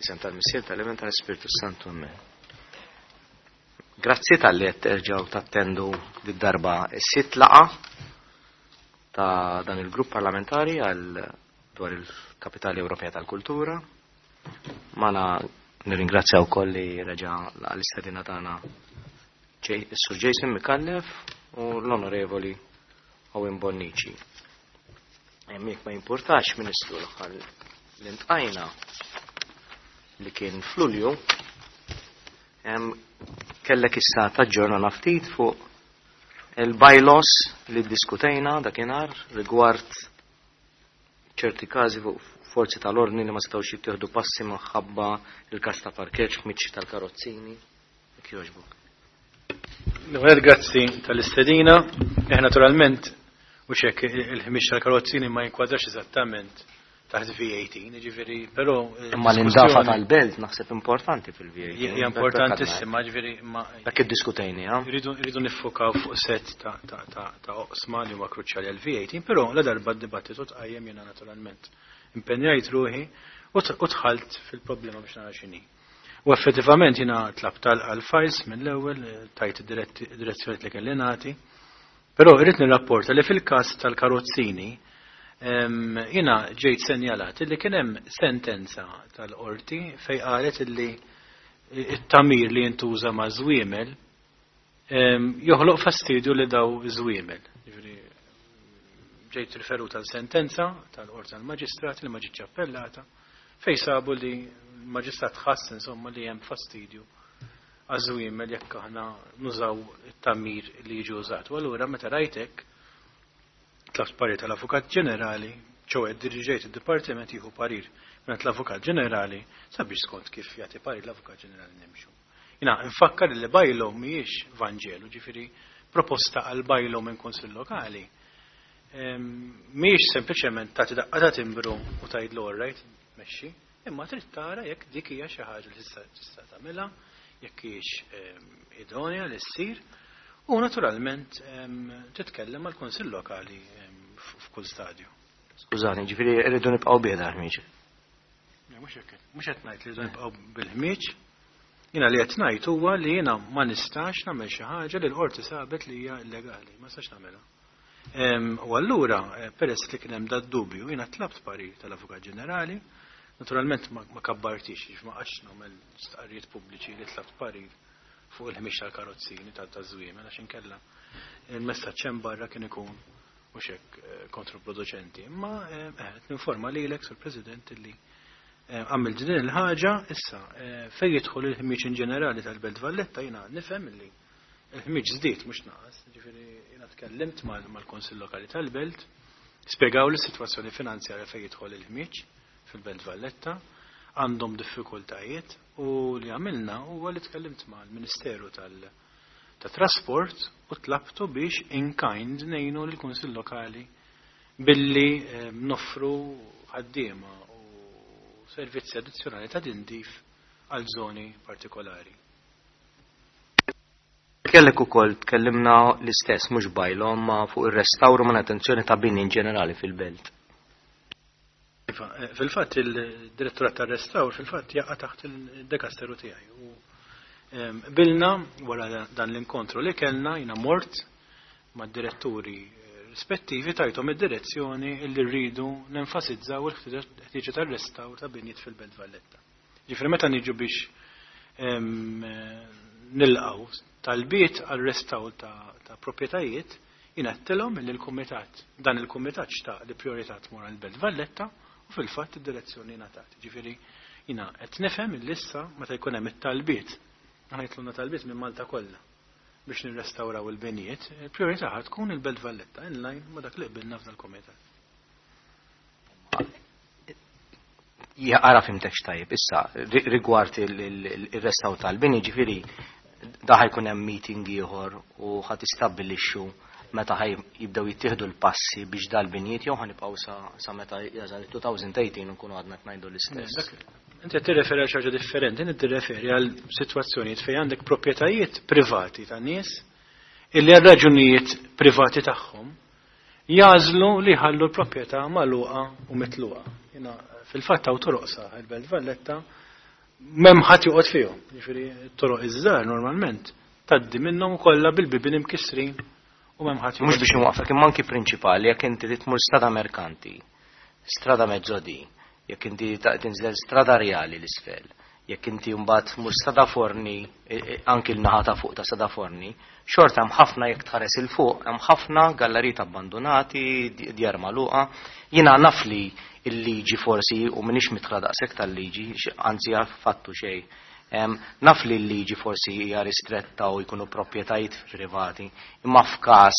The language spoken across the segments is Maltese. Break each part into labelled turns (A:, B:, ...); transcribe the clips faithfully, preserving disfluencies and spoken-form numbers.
A: F'isem tal-Missier, tal-Iben, tal-Ispirtu Santu, amen. Grazzi talli qed terġgħu tattendu d-darba s-sitt laqgħa ta' dan il-grupp parlamentari għal dwar il-Kapitali Ewropea tal-Kultura. Magħna nirringrazzja wkoll li reġa' l-istedina tagħna Sur Jason Micallef u l-Onorevoli Owen Bonnici. Jekk ma jimpurtax, Ministru, l-aħħar li ltqajna li kien f'Lulju, kellek issa taġġorna ftit fuq il-bylaws li diskutejna dakinhar rigward ċerti każi fuq forzi tal-ordni li ma setgħux jittieħdu passi minħabba il-każ ta' parkeġġ ħmieġ tal-karozzini. Jekk jogħġbok.
B: L-ewwel, grazzi tal-istedina. Eh, naturalment, u xek il-ħmieġ tal-karozzini ma jinkwadrax eżattament taħt V eighteen, ġifieri, però
A: Imma l-indafa tal-belt naħseb importanti fil-V eighteen.
B: Hija importantissima, ġifieri ma
A: Dak iddiskutejni, ha?
B: Rridu rridu niffukaw fuq set ta' ta' ta' ta' oqsma li huma kruċjali għal V eighteen, però la darba d-dibattitu tqajjem, jiena naturalment impenjajt ruħi u dħalt fil-problema biex nara x'inhi. U effettivament jiena tlabt għal files mill-ewwel, tajt id-direzzjoni li kelli nagħti, però irrid nirrapporta li fil-każ tal-karozzini jiena ġejt senjalat li kien hemm sentenza tal-qorti fej qalet li it-tagħmir li jintuża ma' żwiemel joħloq fastidju li daw żwiemel. Ġejt riferuta l-sentenza tal-qorti tal-maġistrat li ma ġietx appellata, fej sabu li l-maġistrat ħass insomma li hemm fastidju għaż-żwiemel jekk aħna nużaw it-tagħmir li jiġi użat. U allura meta rajtek tlabt parir tal-Avukat Ġenerali, ċoè diriġejt id-Dipartiment jieħu parir minn l-Avukat Ġenerali sabiex skont kif jagħti parir l-Avukat Ġenerali nimxu. Jiena nfakkar li bylaw mhijiex Vanġelu, ġifieri proposta għal bylaw minn Kunsill Lokali mhijiex sempliċement tagħti daqqa ta' timbru u tgħidlu "All right, mexxi", imma trid tara jekk dik hija xi ħaġa li tista' tista' tagħmilha, jekk hijiex idonea li ssir. U naturalment titkellem mal kunsill Lokali f'kull stadju.
A: Skużani, ġifieri rridu nibqgħu bih ħmiġ.
B: Mhux hekk, mhux qed ngħid li rridu nibqgħu bil-ħmieġ. Jiena li qed ngħid huwa li jiena ma nistax nagħmel xi ħaġa li l-qorti sabet li hija illegali, ma nistax nagħmilha. U allura, eh, peress li kien hemm dat dubju, jiena tlabt parir tal-Avukat Ġenerali, naturalment ma kabbartix, ma qgħadtx nagħmel stqarrijiet pubbliċi li tlabt parir fuq il-ħmieġ tal-karozzini tal-żwiemel, għax inkella il-messaġġ hemm barra kien ikun mhux hekk eh, kontraproducenti. Imma eh, ninforma lilek, Sur President, li eh, għamilt din il-ħaġa. Issa, fejn jidħol il-ħmieġ in ġenerali tal-Belt Valletta, jiena nifhem li il-ħmieġ żdied mhux naqas, ġifieri jiena tkellimt mal-Kunsill Lokali tal-Belt, spjegaw li s-sitwazzjoni finanzjarja fejn jidħol il-ħmieġ fil-Belt Valletta għandhom diffikultajiet, u li għamilna huwa li tkellimt mal-Ministeru tal- ta' Trasport u tlabtu biex in kind ngħinu l-Kunsill Lokali billi eh, noffru ħaddiema u servizzi addizzjonali ta' tindif għal zoni partikolari.
A: Kellek ukoll tkellimna l-istess, mhux bylaw ma fuq ir-restawru manutenzjoni ta' bini in ġenerali fil-belt.
B: Iva, eh, fil-fatt il-direttorat tar-restawr fil-fatt jaqa' taħt il-dekasteru tiegħi. U bilna wara dan l-inkontru li kellna, jiena mort mad-diretturi eh, rispettivi, tajthom id-direzzjoni li rridu nenfasizzaw il-ħtieġa tar-restawr ta' binjiet fil-Belt Valletta. Ġifieri meta niġu biex nilqgħu talbiet għal restawr ta', ta proprjetajiet, jiena għedtilhom li l-kumitat, dan il-kumitat xtaq li priorità tmur għal-Belt Valletta, u fil-fatt id-direzzjoni ngħatat. Ġifieri jiena qed nifhem il-lissa meta jkun hemm it-talbiet, aħna jitluna talbiet minn Malta kollha biex nirrestawraw il-binijiet, il-priorità tkun il-Belt Valletta, in line ma dak li qbilna f'dal komitat.
A: Ara fhimtekx tajjeb, issa, rigward il-restawr tal-bini, ġifieri, da ħa jkun hemm meeting ieħor u ħa tistabbilixxu meta ħaj jibdew jittieħdu l-passi biex dal-binjiet, jew ħa nibqgħu sa meta jasal elfejn u tmintax nkunu għadna ngħidu l-istess?
B: Inti qed tirreferi għal xi ħaġa differenti, inti tirreferi għal sitwazzjonijiet fejn għandek proprjetajiet privati ta' nies illi għal raġunijiet privati tagħhom jagħżlu li jħallu l-proprjetà magħluqa u mitluqa. Jiena fil-fatt hawn toroqsa il-Belt Valletta M'hemm ħadd joqgħod fihom. Jiġifieri t-toroq iż-żgħar normalment tgħaddi minnhom kollha bil-bibien imkissrin u m'hemm ħadd.
A: Mhux biex nwaqfek, imma anki prinċipali, jekk inti tmur Strada Merkanti, Strada Mezzodì, jekk inti tinżel Strada Rjali l-isfel, jekk inti mbagħad tmur Strada Forni, e, e, anki l-naħa ta' fuq ta' Strada Forni, xorta hemm ħafna, jekk tħares 'il fuq, hemm ħafna gallerijiet abbandonati, djar magħluqa. Jiena naf li il-liġi forsi, u m'iniex midħla daqshekk tal-liġi, anzi fattu xejn. Naf li l-liġi forsi hija ristretta u jkunu proprjetajiet privati, imma f'każ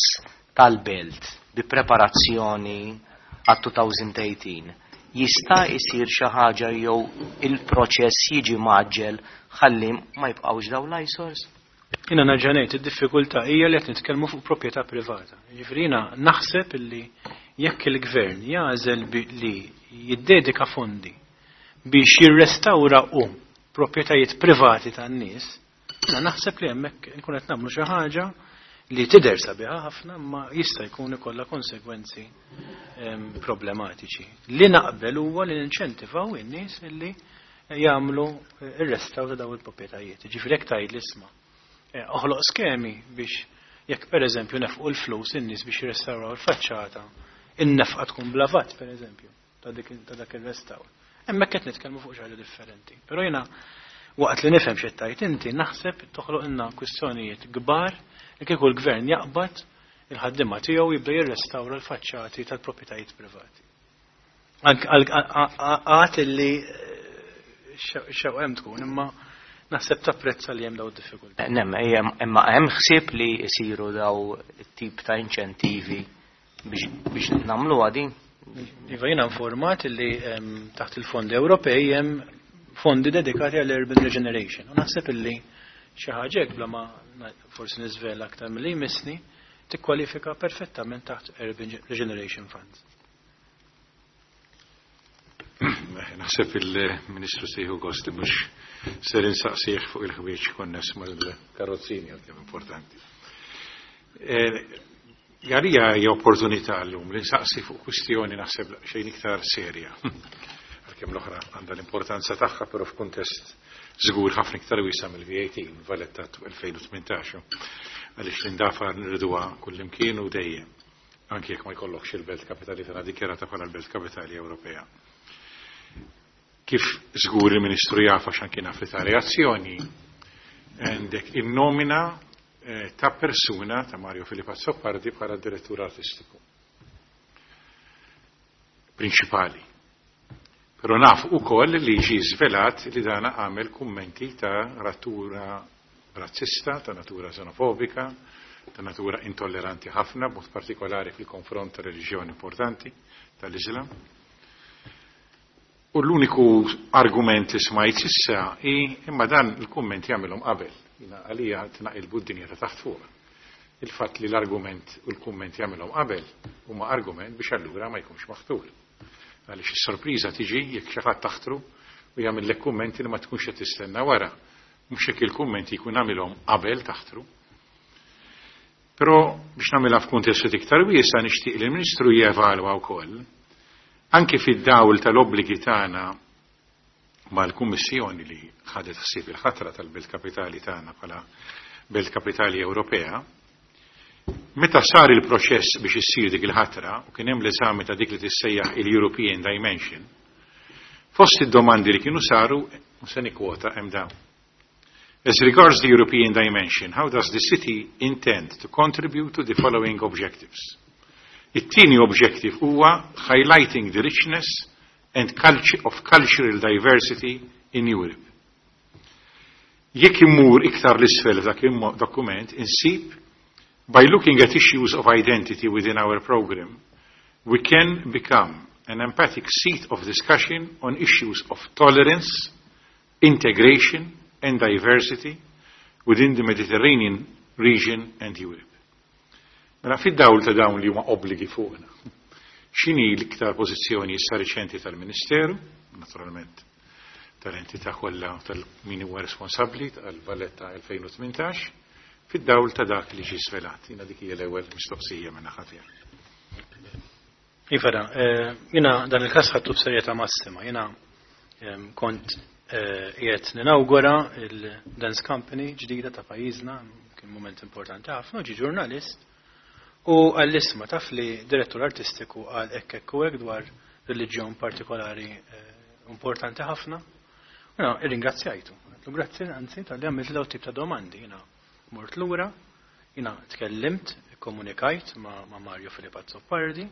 A: tal-belt bi preparazzjoni għat-elfejn u tmintax jista' jsir xi ħaġa jew il-proċess jiġi mgħaġġel ħalli ma jibqgħux dawn l-eyesores?
B: Jiena nerġa' ngħid, id-diffikultà hija li qed nitkellmu fuq proprjetà privata. Jiġifieri jiena naħseb illi jekk il-gvern jagħżel li jiddedika fondi biex jirrestawra u proprjetajiet privati tan-nies, jiena naħseb li hemmhekk nkun qed nagħmlu xi ħaġa li tidher sabiħa ħafna, ma jista' jkun ikollha konsegwenzi problematiċi. Li naqbel huwa li ninċentivaw in-nies illi jagħmlu ir-restawr ta' dawn il-proprjetajiet. Ġifieri jekk tgħid l-isma', eh, oħloq skemi biex jekk pereżempju nefqu l-flus in-nies biex jirrestawraw il-faċċata, in-nefqa tkun bla VAT, pereżempju, ta' dak ir-restawr. Hemmhekk qed nitkellmu fuq xi ħaġa differenti. Però jiena, waqt li nifhem xi tgħid inti, naħseb toħloq ilna kwistjonijiet kbar li kieku l-gvern jaqbad il-ħaddiema tiegħu jibda jirrestawra l-faċċati tal-proprjetajiet privati. Għat li eh, xew hemm tkun, imma naħseb tapprezza li hemm daw id-diffikultà.
A: Nem, imma hemm ħsieb li jsiru daw it-tip ta' inċentivi biex nagħmlu għadin?
B: Iva, jiena informat li taħt il-fondi Ewropej hemm fondi dedikati għall urban regeneration. U naħseb illi xi ħaġa bla ma forsi niżvela aktar milli jmissni tikkwalifika perfettament taħt Urban Regeneration Funds.
C: Naħseb il-Ministru se jieħu gost li mhux ser insaqsih fuq il-ħwieġ konness mal-karozzini, għalkemm importanti. Eh, għalija hija opportunità llum li nsaqsi fuq kwistjoni naħseb xejn iktar serja. Għalkemm l-oħra għandha l-importanza tagħha, però f'kuntest żgur ħafna iktar wiesa' mill-V A T, Valletta elfejn u tmintax. Għaliex l-indafa nriduha kullimkien u dejjem. Anki jekk ma jkollokx il-belt kapitali tagħna dikjarata bħala l-belt kapitali Ewropea. Kif żgur il-Ministru jaf, għax anki naf li ta' reazzjoni, għandek in-nomina eh, ta' persuna ta' Mario Philip Azzopardi bħala direttur artistiku prinċipali. Però naf ukoll li ġi żvelat li dana għamel kummenti ta' natura razzista, ta' natura xenofobika, ta' natura intolleranti ħafna, b'mod partikolari fil-konfront ta' reliġjoni importanti tal-Islam. U l-uniku argument li smajt issa i imma dan il-kumment jagħmilhom qabel. Jiena għalija tnaqilbu d-dinja ta' taħt fuq. Il-fatt li l-argument u l-kumment jagħmilhom qabel huma argument biex allura ma jkunx maħtur. Għaliex is-sorpriża tiġi jekk xi ħadd taħtru u jagħmel kummenti li ma tkunx qed tistenna wara. Mhux jekk il-kummenti jkun għamilhom qabel taħtru. Però biex nagħmilha f'kuntest iktar wiesa', nixtieq li l-Ministru jevalwa wkoll anke fid-dawl tal-obbligi tagħna mal-Kummissjoni li ħadet ħsieb il-ħatra tal-Belt Kapitali tagħna bħala Belt Kapitali Ewropea. Meta sar il-proċess biex issir dik il-ħatra u kien hemm l-eżami ta' dik li tissejjaħ il-European Dimension, fost id-domandi li kienu saru, u se nikkwota, hemm dawn. "As regards the European dimension, how does the city intend to contribute to the following objectives?" It-tieni objective huwa "highlighting the richness and culture of cultural diversity in Europe". Jekk immur iktar l-isfel f'dak il-dokument, insib "By looking at issues of identity within our program, we can become an empathic seat of discussion on issues of tolerance, integration and diversity within the Mediterranean region and Europe". Mela fid-dawl ta' dawn li huma obbligi fuqna, x'inhi l-iktar pożizzjoni issa riċenti tal-Ministeru, naturalment tal-entità kollha, tal-min huwa responsabbli tal-Valletta elfejn u tmintax, fid-dawl ta' dak li ġi svelat? Jiena dik hija l-ewwel mistoqsija minn naħa tiegħi.
B: Iva, eh, jiena dan il-każ ħadtu b'serjetà massima. Jiena kont Qiegħed ninawgura il-Dance Company ġdida ta' pajjiżna, kien mument importanti ħafna, ġie ġurnalist u għall-isma taf li direttur artistiku għal hekk hekk u hekk dwar reliġjon partikolari importanti ħafna. U jiena irringrazzjajtu. Għedtlu grazzi anzi talli għamilt daw tip ta' domandi. Jiena mort lura, jiena tkellimt, komunikajt ma', ma Mario Philip Azzopardi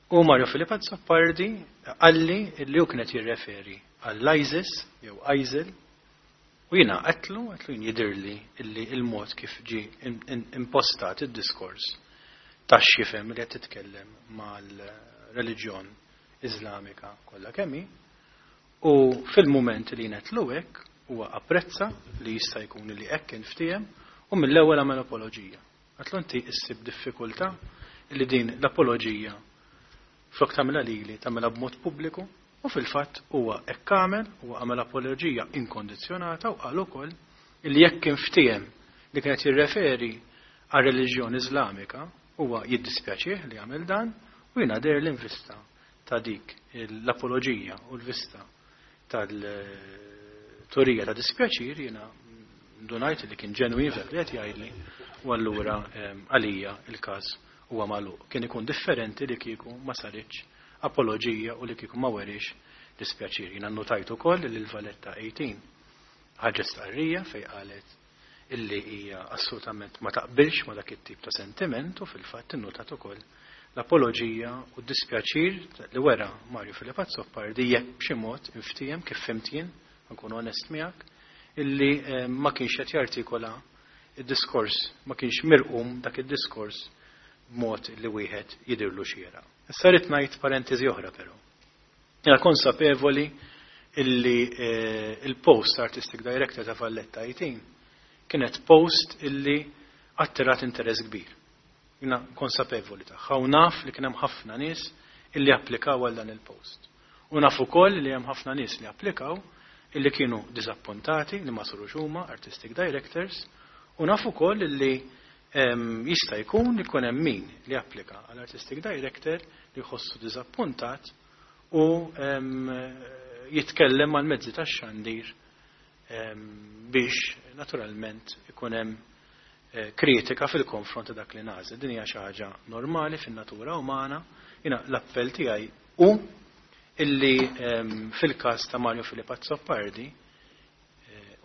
B: u Mario Philip Azzopardi qalli li hu kienet jirreferi għall-ISIS jew ISIL u jiena għedtlu, għedtlu jien jidirli illi il-mod kif ġie impostat id-diskors ta' x'jifhem li qed titkellem mal-reliġjon Iżlamika kollha kemm hi u fil-mument li jien għedtlu hekk huwa apprezza li jista' jkun li hekk kien ftiehem u mill-ewwel għamel apoloġija. Għedtlu inti issib diffikultà li din l-apoloġija flok tagħmilha lili tagħmilha b'mod pubbliku u fil-fatt huwa hekk għamel, huwa għamel apoloġija inkondizzjonata u qal ukoll li jekk kien ftiehem li kienet jirreferi għal reliġjon Iżlamika huwa jiddispjaċih li għamel dan u jiena deher l-invista ta' dik l-apoloġija u l-vista tal-turija ta' dispjaċir jiena ndunajt li kien ġenwin f'dak li qed jgħidli u allura għalija il-każ huwa magħluq. Kien ikun differenti li kieku ma saritx apoloġija u li kieku ma werix dispjaċir. Jiena nnotajt ukoll li l-Valletta eighteen ħarġet stqarrija fejn qalet illi hija assolutament ma taqbilx ma dak it-tip ta' sentiment u fil-fatt innotat ukoll l-apoloġija u d-dispjaċir li wera Mario Philip Azzopardi jekk b'xi mod inftiehem kif fhimt jien, nkun onest miegħek, illi ma kienx qed jartikola id-diskors, ma kienx mirqum dak id-diskors b'mod li wieħed jidirlu xieraq. Issa rrid ngħid parentesi oħra però. Jiena konsapevoli illi il-post Artistic Director ta' Valletta eighteen kienet post illi attirat interess kbir. Jiena konsapevoli tagħha u naf li kien hemm ħafna nies illi applikaw għal dan il-post. U naf ukoll li hemm ħafna nies li applikaw illi kienu diżappuntati li ma sarux huma artistic directors u naf ukoll illi jista' jkun li jkun hemm min li applika għal artistic director li jħossu diżappuntat u jitkellem mal mezzi tax-xandir biex naturalment ikun hemm kritika fil-konfront ta' dak li nażel. Din hija xi ħaġa normali fin-natura umana. Jiena l-appell tiegħi hu illi fil-każ ta' Mario Philip Azzopardi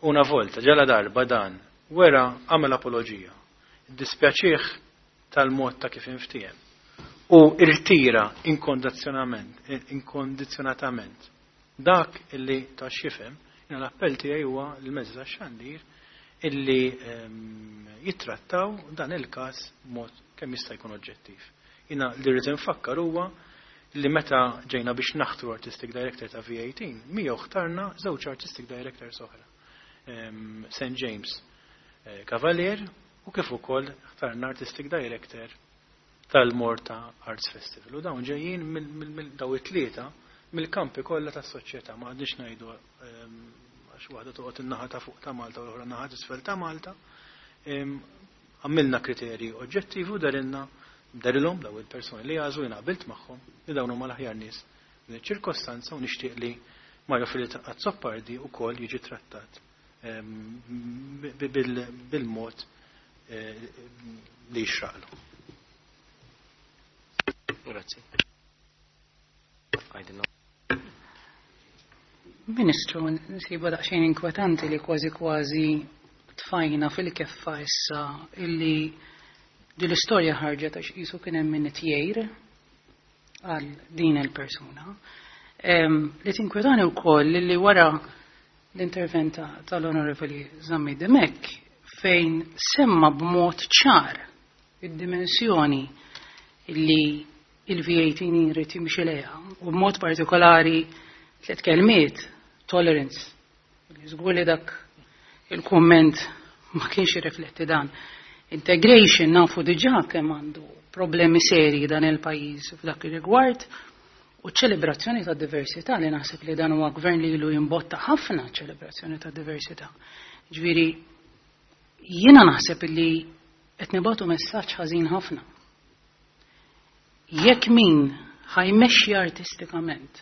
B: una volta ġala darba dan wera għamel apoloġija. Dispjaċih tal-mod ta' kif inftiehem u irtira inkondizzjonatament dak illi ta' x'jifhem, jiena l-appell tiegħi huwa l-mezzi tax-xandir illi jittrattaw dan il-każ b'mod kemm jista' jkun oġġettiv. Jiena li rrid infakkar huwa li meta ġejna biex naħtru Artistic Director ta' V eighteen, miegħu ħtarna żewġ Artistic Directors oħra. Saint James Cavalier u kif ukoll ħtarna Artistic Director tal-Malta Arts Festival. U dawn ġejjin mill daw it-tlieta mill-kampi kollha tas-soċjetà, ma għadniex ngħidu għax waħda toqgħod in-naħa ta' fuq ta' Malta u l-oħra naħa t'isfel ta' Malta. Għamilna kriterji oġġettivi u darilna darilhom daw il-persuni li għażlu jiena qabilt magħhom li dawn huma l-aħjar nies din iċ-ċirkostanza u nixtieq li Mario Philip Azzopardi wkoll jiġi trattat bil-mod li jixraqlu.
A: Grazzi.
D: Ministru, nsibu daqsxejn inkwetanti li kważi kważi tfajna fil-keffa issa illi din l-istorja ħarġet għax qisu kien hemm min jgħir għal din il-persuna. Li tinkwetani wkoll li wara l-intervent tal-Onorevoli Zammit Dimech fejn semma b'mod ċar id-dimensjoni illi il-V eighteen jrid jimxi lejha u b'mod partikolari tliet kelmiet, tolerance. Żgur li dak il-kumment ma kienx jirrifletti dan. Integration nafu diġà kemm għandu problemi serji dan il-pajjiż f'dak ir-rigward u ċelebrazzjoni ta' diversità li naħseb li dan huwa gvern li ilu jimbotta ħafna ċelebrazzjoni ta' diversità. Ġifieri jiena naħseb li qed nibgħatu messaġġ ħażin ħafna. Jekk min ħajmexxi artistikament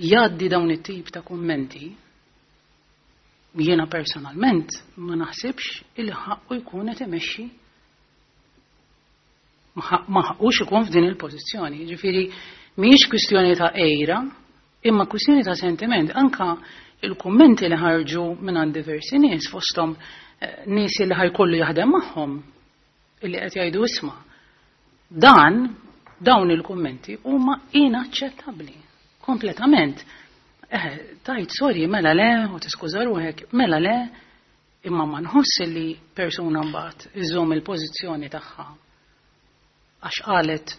D: jgħaddi dawn it-tip ta' kummenti, jiena personalment ma naħsibx il ħaqqu jkun qed imexxi, ma ħaqqux ikun f'din il-pożizzjoni. Ġifieri mhijiex kwistjoni ta' għira, imma kwistjoni ta' sentiment. Anka il-kummenti li ħarġu minn għand diversi nies, fosthom eh, nies li ħa jkollu jaħdem magħhom, illi qed jgħidu isma', dan dawn il-kummenti huma inaċċettabbli kompletament. Eh, tajt sorry, mela le, u tiskuża ruħek, mela le, imma ma nħoss li persuna mbagħad iżomm il-pożizzjoni tagħha għax qalet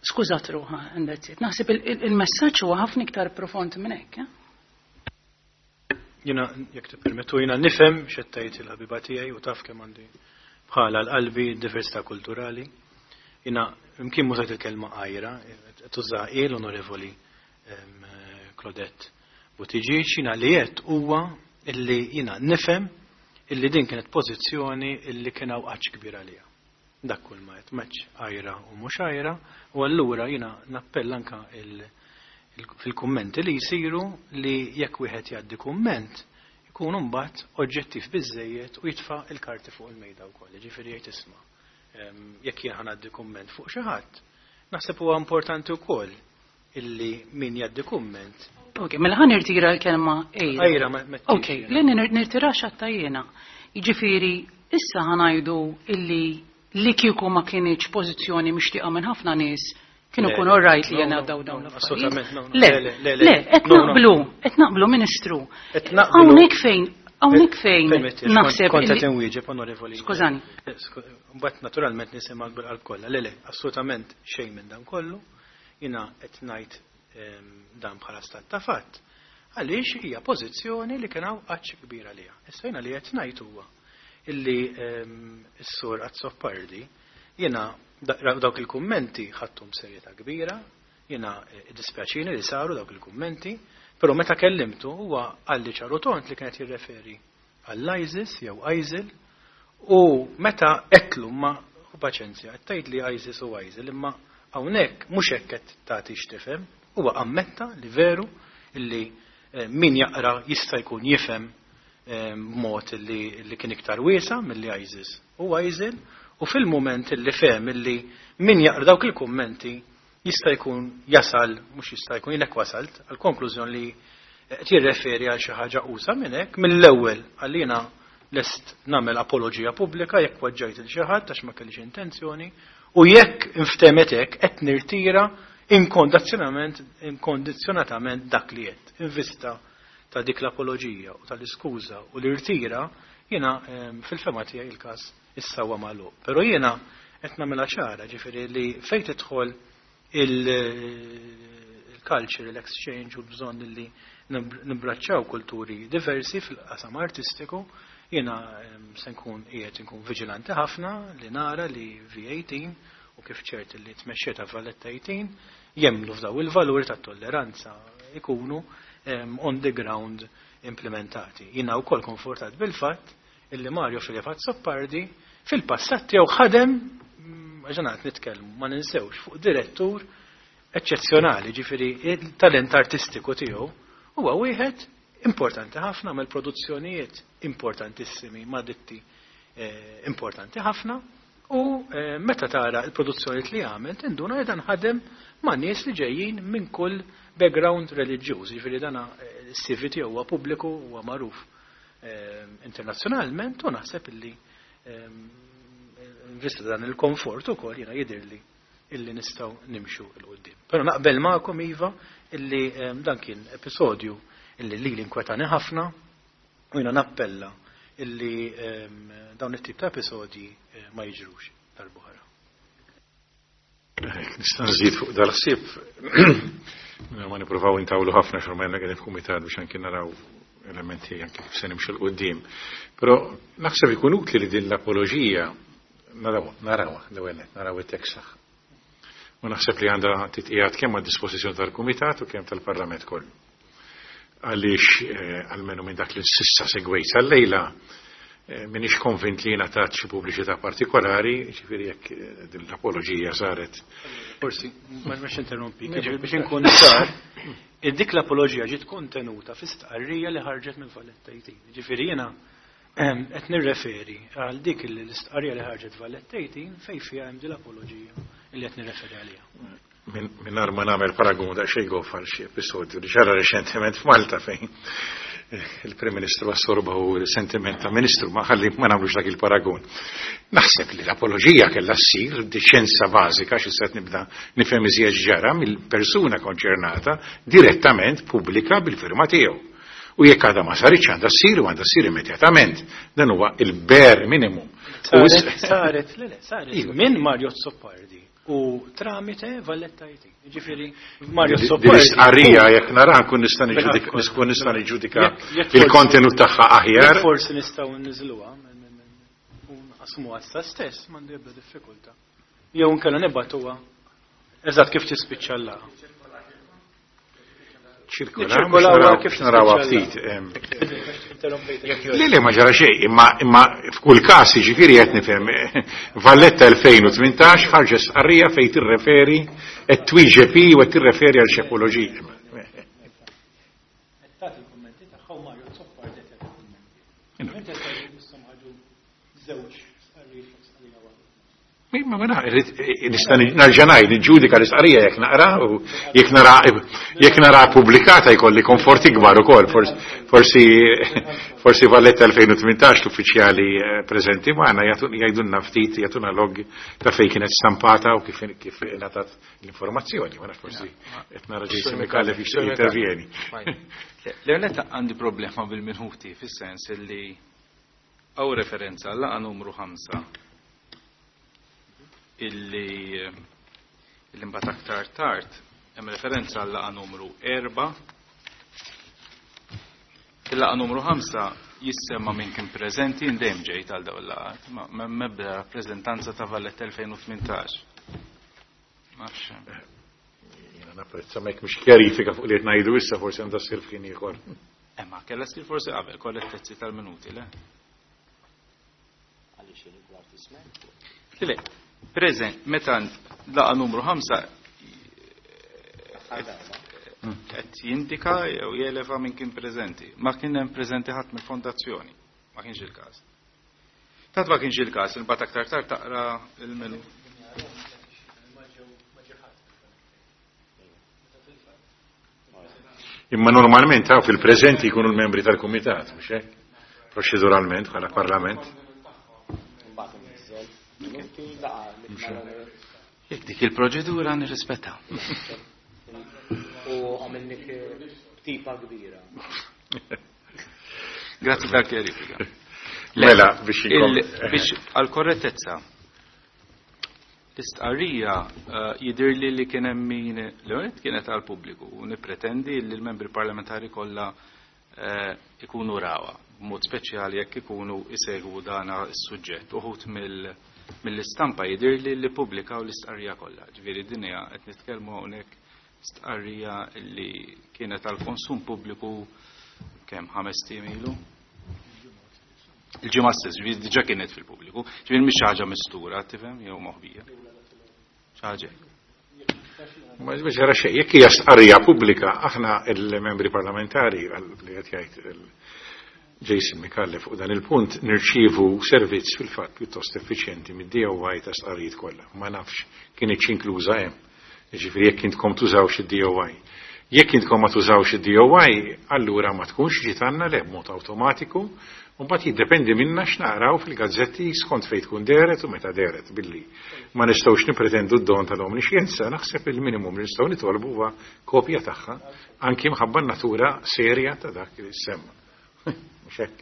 D: skużat ruħha and that's it. Naħseb il-messaġġ huwa ħafna iktar profond minn hekk. Eh?
B: Jiena, jekk tippermettu, jiena nifhem x'qed tgħid il-ħabiba tiegħi u taf kemm għandi bħala l-qalbi diversità kulturali. Jiena imkien mużajt il-kelma għira, tuża l-Onorevoli Claudette Buttigieg, jiena li qed huwa illi jiena nifhem illi din kienet pożizzjoni illi kien hawn għatx kbir għaliha. Dak kull ma qed meċ għira u mhux għira, u allura jiena nappella anka fil-kummenti li jsiru li jekk wieħed jgħaddi kumment ikun mbagħad oġġettiv biżejjed u jitfa' il-karti fuq il-mejda wkoll, ġifieri jgħid isma' jekk jien ħa ngħaddi kumment fuq xi ħadd, naħseb huwa importanti wkoll illi min jgħaddi kumment.
D: Ok, mela ħa nirtira l-kelma għira.
B: Għira ma
D: Ok, le nirtira xatta jiena. Jiġifieri issa ħa ngħidu illi li kieku ma kienx pożizzjoni mixtieqa minn ħafna nies kienu kun all right li jena daw dawn
B: l-affarijiet.
D: Le, le, qed naqblu, qed naqblu, Ministru. Hawnhekk fejn, hawnhekk fejn naħseb.
B: Kont qed inwieġeb, Onorevoli.
D: Skużani.
B: Mbagħad naturalment nisimgħek bil-qalb kollha. Le, le, assolutament xejn minn dan kollu. Jiena qed ngħid dan bħala stat ta' fatt. Għaliex hija pożizzjoni li kien hawn għatx kbir għaliha. Issa jiena li qed ngħid huwa illi s-sur Azzopardi, jiena dawk il-kummenti ħadthom serjetà kbira, jiena dispjaċini li saru dawk il-kummenti, però meta kellimtu huwa qalli ċar u tond li kienet jirreferi għall-ISIS jew ISIL, u meta għedtlu ma paċenzja, qed tgħid li ISIS u ISIL, imma hawnhekk mhux hekk qed tagħti x'tifhem, huwa ammetta li veru illi min jaqra jista' jkun jifhem b'mod li, li kien iktar wiesa milli ISIS u ISIL, u fil-moment li fehem illi min jaqra dawk il-kummenti jista' jkun jasal, mhux jista' jkun jilek wasalt, għal konklużjoni li qed jirreferi għal xi ħaġa usa minn hekk, mill-ewwel għalina lest nagħmel apoloġija pubblika jekk weġġajt il xi ħadd għax ma kellix intenzjoni, u jekk inftemet hekk qed nirtira inkondizzjonament inkondizzjonatament dak li qed. In vista ta' dik l-apoloġija u tal-iskuża u l-irtira, jiena fil-fema tiegħi il-każ issa huwa magħluq. Però jiena qed nagħmilha ċara, ġifieri li fejn tidħol il-cultural exchange u l-bżonn li nibbraċċaw kulturi diversi fil-qasam artistiku, jiena se nkun qiegħed inkun viġilanti ħafna li nara li V eighteen u kif ċert li tmexxiet Valletta eighteen jemmnu f'daw il-valuri tat-tolleranza ikunu on the ground implementati. Jiena wkoll konfortat bil-fatt illi Mario Philip Azzopardi fil-passat tiegħu ħadem, ġanat nitkellmu, ma ninsewx, fuq direttur eċċezzjonali, ġifieri il-talent artistiku tiegħu huwa wieħed importanti ħafna, mill produzzjonijiet importantissimi ma' ditti, eh, importanti ħafna, u, eh, meta tara l-produzzjonijiet li għamel tinduna li dan ħadem ma' nies li ġejjin minn kull background reliġjuż, ġifieri dan, eh, is-C V tiegħu huwa pubbliku, huwa magħruf, eh, internazzjonalment, u naħseb illi, eh, vista dan il-komfort ukoll jiena jidhirli illi nistgħu nimxu 'l quddiem. Però naqbel magħkom iva illi, eh, dan kien episodju illi lili inkwetani ħafna u jiena nappella illi, ehm, dawn it-tip ta' episodji, eh, ma jiġrux darb'oħra.
C: Nista' nżid fuq dal-ħsieb, ma nippruvaw intawlu ħafna xorma ma qegħdin f'kumitat biex anke naraw elementi anke kif se nimxu 'l quddiem. Però naħseb ikun utli li din l-apoloġija naraw, naraw l-ewwel nett, naraw it-tekst tagħha. U naħseb li għandha titqiegħed kemm għad-dispożizzjoni tal-Kumitat u kemm tal-Parlament kollu. Għaliex, eh, almenu minn dak li s'issa segwejt sal-lejla, Minix konvint li ngħatat xi pubbliċità partikolari, ġifieri jekk din l-apoloġija saret.
B: Forsi, ma biex interrompi, biex inkun ċar, dik l-apoloġija ġiet kontenuta fi stqarrija li ħarġet minn Valletta eighteen. Ġifieri jiena qed nirreferi għal dik l-istqarrija li ħarġet Valletta eighteen fejn fiha hemm din l-apoloġija li qed nirreferi għaliha.
C: Mingħajr ma nagħmel paragun daqsxejn goff għal xi episodju li ġara reċentement f'Malta fejn il-Prim Ministru assorba u l-sentiment ta' Ministru, ma ħalli ma nagħmlux dak il-paragun. Naħseb li l-apoloġija kellha ssir deċenza bażika xi se nibda nifhem iżjed ġara mill-persuna konċernata direttament pubblika bil-firma tiegħu. U jekk għadha ma saritx għandha ssir u għandha ssir immedjatament. Dan huwa il-bare minimum.
B: Saret, saret, le, le, saret minn Mario Azzopardi u tramite Valletta eighteen. Ġifieri Mario Azzopardi.
C: L-istqarrija jekk nara nkun nista' niġġudika, nista' niġġudika il-kontenut tagħha aħjar.
B: Forsi nistgħu nniżluha u nqasmuha issa stess, m'għandi ebda diffikultà. Jew inkella nibgħatuha eżatt kif tispiċċa l-laqgħa.
C: Ċirkolaw kif narawha ftit. Le, le, ma ġara xejn, imma imma f'kull każ jiġifieri qed nifhem Valletta elfejn u tmintax ħarġet stqarrija fejn tirreferi qed twieġeb u qed tirreferi għal xi apoloġija.
B: Qed tagħti l-kummenti tagħha u Mario Azzopardi qed jagħti l-kummenti. Żewġ stqarrijiet fuq stqarrija waħda.
C: Ma ma nista' nerġa' ngħid niġġudika l-istqarrija jekk naqra u jekk nara jekk nara pubblikata jkolli komfort ikbar ukoll. Forsi forsi Valletta elfejn u tmintax l-uffiċjali preżenti magħna jgħidulna ftit, jagħtuna log ta' fejn kienet stampata u kif kif ngħatat l-informazzjoni. Ma nafx forsi qed nara Jason Micallef jixtieq jintervjeni.
E: L-ewwel għandi problema bil-minuti fis-sens li hawn referenza għal numru ħamsa illi illi mbagħad aktar tard hemm referenza għal laqgħa numru erba'. Il-laqgħa numru ħamsa jissemma min kien preżenti dejjem ġejt għal dawn il-laqgħat, ma m'hemm ebda rappreżentanza ta' Valletta elfejn u tmintax. Ma nafx.
C: Jiena napprezza ma jekk mhux kjarifika fuq li qed ngħidu issa forsi għandha ssir f'ħin ieħor.
E: Imma kellha ssir forsi qabel korrettezzi tal-minuti, le?
A: Għaliex rigward ismek?
E: Le, preżent, meta laqa numru ħamsa qed jindika jew jeleva min kien preżenti. Ma kien hemm preżenti ħadd mill-fondazzjoni, ma kienx il-każ. Tant ma kienx il-każ, imbagħad aktar tard taqra il-menu.
C: Imma normalment hawn fil-preżenti jkunu l-membri tal-kumitat, mhux hekk? Proċeduralment bħala parlament.
E: Jekk dik il-proċedura nirrispettaw.
A: U għamilnik tipa kbira.
E: Grazzi tal-kjarifika.
C: Mela, biex
E: Il-, biex għal-korrettezza. L-istqarrija jidirli li kien hemm min l-għonet kienet għal-pubbliku u nippretendi li l-membri parlamentari kollha ikunu rawa, b'mod speċjali jekk ikunu isegwu dana s-suġġett. Uħud mill-, mill-istampa jidirli li pubblikaw l-istqarrija kollha. Ġifieri din hija qed nitkellmu hawnhekk stqarrija li kienet għal-konsum pubbliku kemm ħames ijiem ilu? Il-ġimgħa stess, ġifieri diġà kienet fil-pubbliku. Ġifieri mhix xi ħaġa mistura, tifhem, jew moħbija. Xi ħaġa hekk.
C: Ma ġara xejn, jekk hija stqarrija pubblika, aħna il-membri parlamentari li qed jgħid Jason Micallef fuq dan il-punt nirċievu servizz fil-fatt pjuttost effiċjenti mid-D O I ta' stqarrijiet kollha. Ma nafx kienet inkluża hemm. Jiġifieri jekk intkom tużawx id-D O I. Jekk intkom ma tużawx id-D O I, allura ma tkunx ġiet għandna le b'mod awtomatiku, u mbagħad jiddependi minna x'naqraw fil-gazzetti skont fejn tkun dehret u meta dehret billi ma nistgħux nippretendu d-don tal-omnixjenza, naħseb il-minimum li nistgħu nitolbu huwa kopja tagħha anki mħabba n-natura serja ta' dak li semma. Mhux hekk.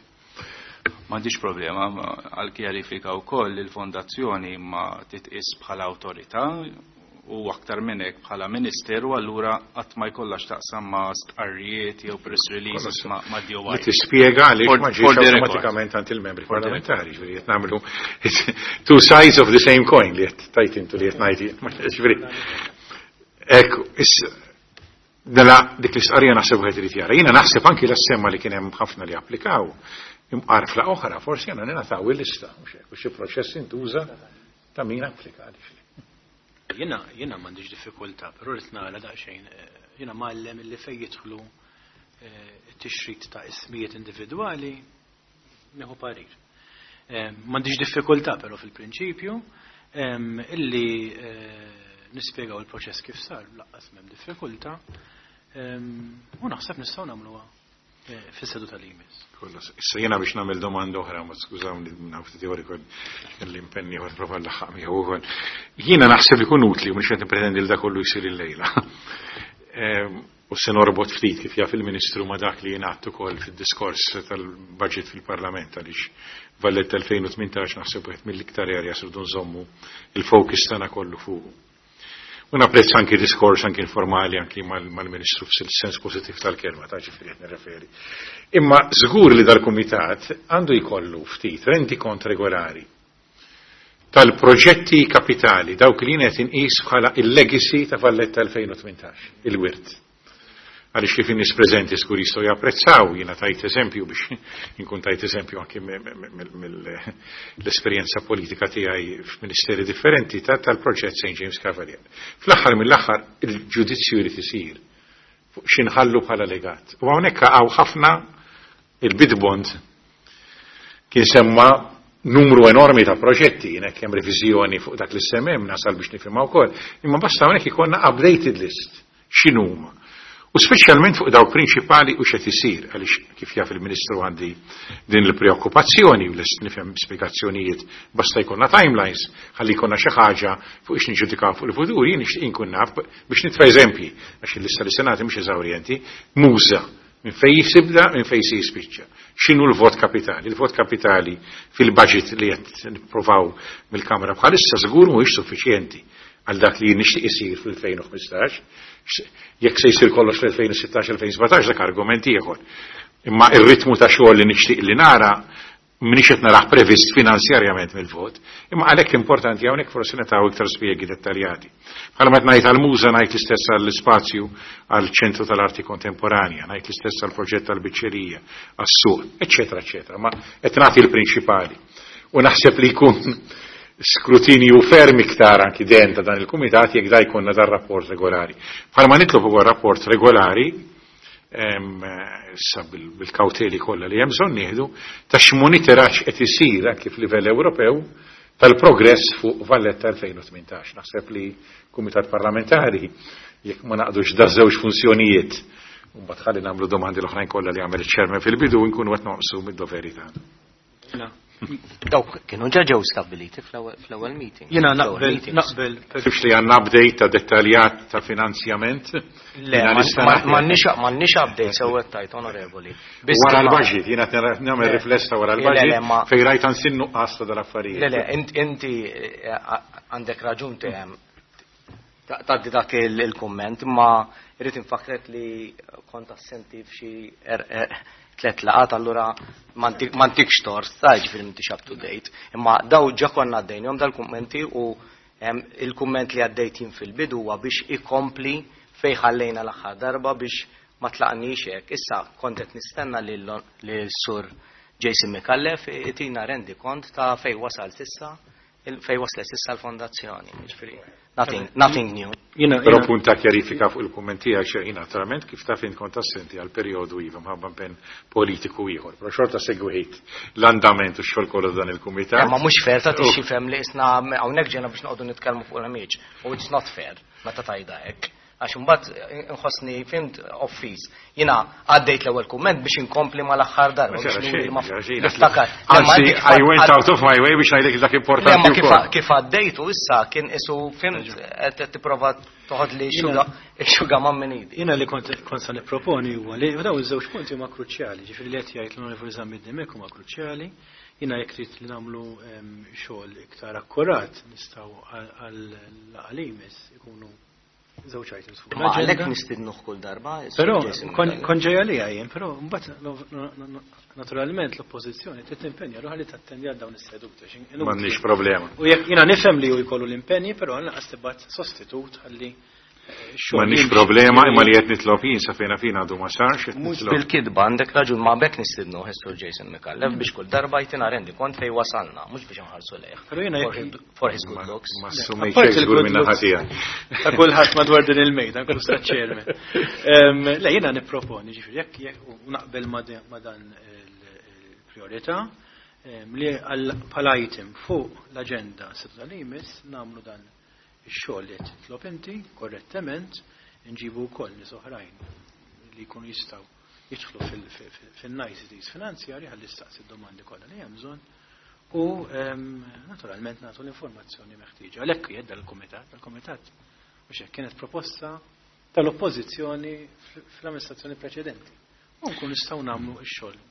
E: M'għandix problema għal kjarifika wkoll li l-fondazzjoni ma titqis bħala awtorità u aktar minn hekk bħala ministeru, allura qatt ma jkollha x'taqsam ma' stqarrijiet jew press releases ma', ma' D O I.
C: Li tispjega għaliex
E: For-
C: ma ġiex
E: for the record.
C: awtomatikament għand il-membri
E: For the
C: parlamentari, ġifieri qed nagħmlu two sides of the same coin li qed tajt intu li qed ngħid jien. Ġifieri, ekku, issa, mela dik l-istqarrija naħseb wieħed irid jara. Jiena naħseb anki l-assemma li kien hemm ħafna li applikaw. Imqar f'laqgħa oħra forsi għandna ningħataw il-lista, mhux hekk, u xi proċess intuża ta' min applika għaliex.
B: Jiena jiena m'għandix diffikultà, però rrid nara daqsxejn, jiena mgħallem illi fejn jidħlu t-tixrid ta' ismijiet individwali nieħu parir. M'għandix diffikultà però fil-prinċipju illi nispjegaw il-proċess kif sar, lanqas m'hemm diffikultà, u naħseb nistgħu nagħmluha fis-seduta li jmiss.
C: Issa jiena biex nagħmel domanda oħra, ma skużawni minn ftit ieħor kelli impenni ieħor prova nlaħħaq miegħu ukoll. Jiena naħseb ikun utli u mhux qed nippretendi li dak kollu jsir illejla. U se norbot ftit kif jaf il-Ministru ma dak li jingħad ukoll fid-diskors tal-budget fil-Parlament, għaliex Valletta elfejn u tmintax naħseb wieħed mill-iktar areas rridu nżommu il-focus tagħna kollu fuq. U napprezza anki diskors anki informali anki mal-Ministru fis-sens pożittiv tal-kelma, ta' ġifieri qed nirreferi. Imma żgur li dal-Kumitat għandu jkollu ftit rendikont regolari tal-proġetti kapitali, dawk li qed inqis bħala il-legacy ta' Valletta elfejn u tmintax, il-wirt. Għaliex kif in-nies preżenti żgur jistgħu japprezzaw, jiena tajt eżempju biex inkun tajt eżempju anki mill-esperjenza politika tiegħi f'ministeri differenti tal-proġett Saint James Cavalier. Fl-aħħar mill-aħħar il-ġudizzju jrid isir fuq x'inħallu bħala legat. U hawnhekk hawn ħafna il-bid bond kien semma numru enormi ta' proġetti, jien hekk hemm reviżjoni fuq dak li semmem nasal biex nifhimha wkoll, imma basta hawnhekk ikollna updated list x'inhuma. U speċjalment fuq dawk prinċipali u x'qed isir, għaliex kif jaf il-Ministru għandi din il-preokkupazzjoni u lest nifhem spjegazzjonijiet basta jkollna timelines, ħalli jkollna xi ħaġa fuq ix niġġudikaw fuq il-futur, jien nixtieq inkun naf biex nitfa' eżempji, għax il-lista li se nagħti mhux eżawrjenti, muża minn fejn jisibda, minn fejn se jispiċċa. X'inhu l-vot kapitali? Il-vot kapitali fil-budget li qed nippruvaw mill-Kamra bħalissa żgur mhuwiex suffiċjenti għal dak li nixtieq isir fil-elfejn u ħmistax. Jekk se jsir kollox fl-elfejn u sittax, elfejn u sbatax, dak argument ieħor. Imma ir-ritmu ta' xogħol li nixtieq li nara m'iniex qed narah previst finanzjarjament mill-vot, imma għalhekk importanti hawnhekk forsi nagħtaw iktar spjegi dettaljati. Bħalma qed ngħid għall-muża, ngħid l-istess għall-ispazju għall-ċentru tal-arti kontemporanja, ngħid l-istess għall-proġett tal-biċċerija, għas-suq, eċċetera, eċċetera. Ma qed nagħti l-prinċipali. U naħseb li jkun skrutinju ferm iktar anki den ta' dan il-kumitat jekk da jkollna dan rapport regolari. Bħalma nitlob ukoll rapport regolari, issa bil-kawteli kollha li hemm bżonn nieħdu ta' x'monitoraġġ qed isir anki f'livell Ewropew tal-progress fuq Valletta elfejn u tmintax. Naħseb li kumitat parlamentari jekk ma naqdux da żewġ funzjonijiet u mbagħad ħalli nagħmlu domandi l-oħrajn kollha li għamel iċ-chairman fil-bidu nkunu qed noqsu mid-doveri tagħna.
A: Dawk kienu ġa ġew stabiliti fl-ewwel meeting.
B: Jiena
A: Fl-ewwel
B: naqbel,
A: meetings.
B: naqbel.
C: Fifx li għandna update ta' dettaljat ta' finanzjament?
A: Le,
C: Jiena
A: ma-
C: nista'
A: ma-
C: nagħti.
A: m'għandniex, m'għandniex update sew qed tajt, onorevoli. Biss
C: Wara
A: ma-
C: l-budget, jiena qed nara-, nagħmel
A: Le.
C: rifless ta' wara
A: Le,
C: l-budget,
A: le, ma-
C: fejn rajt ansi nuqqas ta' dal-affarijiet.
A: Le, le, int-, inti, eh, għandek raġun tehem tgħaddi dak il-, il-kumment, imma irrid infakret li kont assenti f'xi er-, er-, tlet laqat, allura m'għandikx tort, ta' ġifieri m'intix up to date. Imma daw ġa konna għaddejnihom dal-kummenti u, em, il-kumment li għaddejt jien fil-bidu huwa biex ikompli fejn ħallejna l-aħħar darba biex ma tlaqniex hekk. Issa kont qed nistenna lil, lil Sur Jason Micallef itina rendi kont ta' fejn wasal s'issa, fejn waslet s'issa l-fondazzjoni. Ġifieri, nothing, nothing new.
B: Jiena,
C: Però
B: jiena
C: punt ta' kjarifika fuq il-kumment tiegħek xejn, jiena naturalment kif taf int kont assenti għal perjodu iva mħabba impenn politiku ieħor, però xorta segwejt l-andament u x-xogħol kollu dan il-kumitat.
A: Ma mhux fair ta' tixi fhem li isna hawnhekk ġejna biex noqogħdu nitkellmu fuq l-amiċ. U it's not fair meta tajda hekk. Għax imbagħad inħossni fimt offiż. Jiena għaddejt l-ewwel kumment biex inkompli mal-aħħar darba,
C: Ma
A: biex
C: xejn,
A: nuri ma
C: xejn, xejn.
A: niftakar. Le, ma
C: Anzi,
A: inti kif
C: I went
A: għad-
C: out of my way biex ngħidlek dak importanti
A: Le, ma kif
C: wkoll.
A: għa-, kif għaddejtu issa kien isu fimt qed tipprova toħod li
B: Jiena-
A: xuga, xuga ma' minn idi.
B: Jiena li kont, kont sa nipproponi huwa li dawn iż-żewġ punti huma kruċjali, ġifieri li qed jgħid l-Onorevoli Zammit Dimech huma kruċjali. Jiena jekk trid li nagħmlu, em, xogħol iktar akkurat nistgħu għal, għal laqgħa ikunu żewġ items fuq
A: Ma għalhekk
B: l-aġenda.
A: nistidnuh kull darba, is-Sur
B: Però
A: Jason
B: kon,
A: Micallef.
B: kon ġejja li jien, però mbagħad no, no, no, no, naturalment l-oppożizzjoni trid timpenja ruħha li tattendi għal dawn is-seduti, għax inutli.
C: M'għandniex problema.
B: U jekk jiena nifhem li hu jkollu l-impenji, però lanqas tibgħat sostitut ħalli,
C: M'għandniex problema imma li qed nitlob jien sa fejna fina għadu ma sarx.
A: Mhux bil-kidba għandek raġun ma bekk nistidnu Sur Jason Micallef biex kull darba jtina rendi kont fejn wasalna, mhux biex nħarsu lejh. For his good looks.
C: Ma assumejx żgur minn naħa tiegħek.
B: Ta' kulħadd madwar din il-mejda, nkunu sta chairman. Le jiena nipproponi ġifieri jekk u naqbel ma dan il-priorità li bħala item fuq l-aġenda seduta li jmiss nagħmlu dan ix-xogħol li qed titlob inti korrettament nġibu wkoll nies oħrajn li jkunu jistgħu jidħlu fil-niceties finanzjarji ħalli staqsi d-domandi kollha li hemm bżonn u naturalment nagħtu l-informazzjoni meħtieġa. Għalhekk qiegħed dal-kumitat, dal-kumitat mhux hekk kienet proposta tal-oppożizzjoni fl-amministrazzjoni preċedenti. U nkun nistgħu nagħmlu x-xogħol.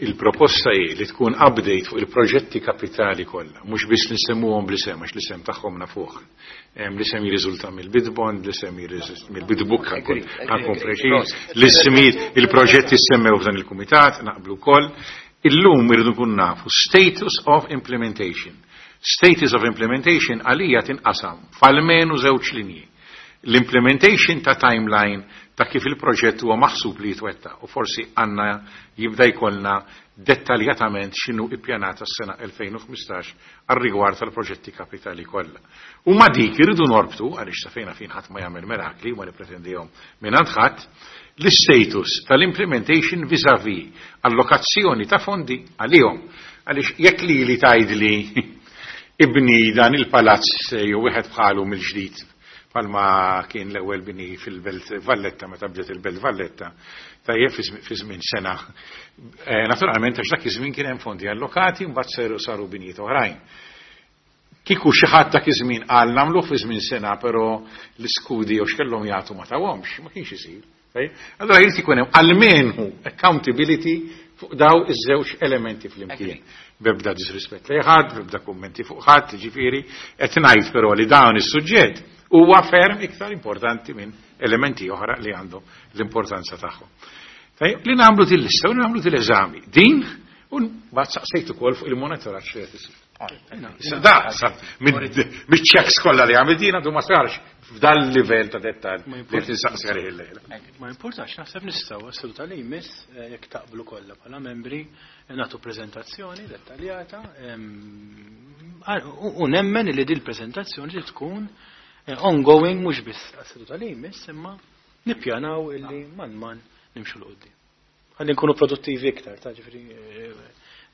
C: Il-proposta hi li tkun update fuq il-proġetti kapitali kollha, mhux biss li nsemmuhom bl-isem għax l-isem tagħhom nafuh. L-isem jirriżulta mill-bid bond, l-isem jirriżulta mill-bid book, ħankun preċiż, l-ismijiet, il-proġetti semmew f'dan il-kumitat, naqblu wkoll. Illum irridu nkun nafu status of implementation. Status of implementation għalija tinqasam f'almenu żewġ linji. L-implementation ta' timeline ta' kif il-proġett huwa maħsub li jitwettaq u forsi għandna jibda jkollna dettaljatament x'inhu ippjanata s-sena elfejn u ħmistax għar-rigward tal-proġetti kapitali kollha. U ma dik irridu norbtu, għaliex sa fejna fin ħadd ma jagħmel mirakli u ma nippretendihom mingħand ħadd, l-status tal-implementation vis-à-vis allokazzjoni ta' fondi għalihom. Għaliex jekk li li tgħidli ibni dan il-palazz jew wieħed bħalu mill-ġdid palma kien l-ewwel bini fil-Belt Valletta meta bdiet il-Belt Valletta, tajjeb fi żmien sena. Naturalment għax dak iż-żmien kien hemm fondi allokati mbagħad saru binijiet oħrajn. Kieku xi ħadd dak iż-żmien qal nagħmluh fi żmien sena, però l-iskudi jew x'kellhom jagħtu ma tawhomx, ma kienx isir. Allora jrid ikun hemm almenu accountability fuq daw iż-żewġ elementi flimkien. Bebda disrispett lejn ħadd, bebda kummenti fuq ħadd, ġifieri qed ngħid però li dawn is-suġġett huwa ferm iktar importanti minn elementi oħra li għandhom l-importanza tagħhom. Tajjeb, li nagħmlu din lista u nagħmlu din l-eżami. Din u mbagħad saqsejt ukoll fuq il-monitoraġġ li qed isir. Da, miċ-checks kollha li għamil din għadu ma sarx f'dan livell ta' dettall li qed insaqsi għalih illejla.
B: Ma importax, naħseb nistgħu għas-seduta li jmiss jekk taqblu kollha bħala membri nagħtu preżentazzjoni dettaljata u nemmen li din il-preżentazzjoni li tkun ongoing mhux biss għas-seduta li jmiss imma nippjanaw illi man man nimxu l qudiem. Ħalli nkunu produttivi iktar, ta' ġifieri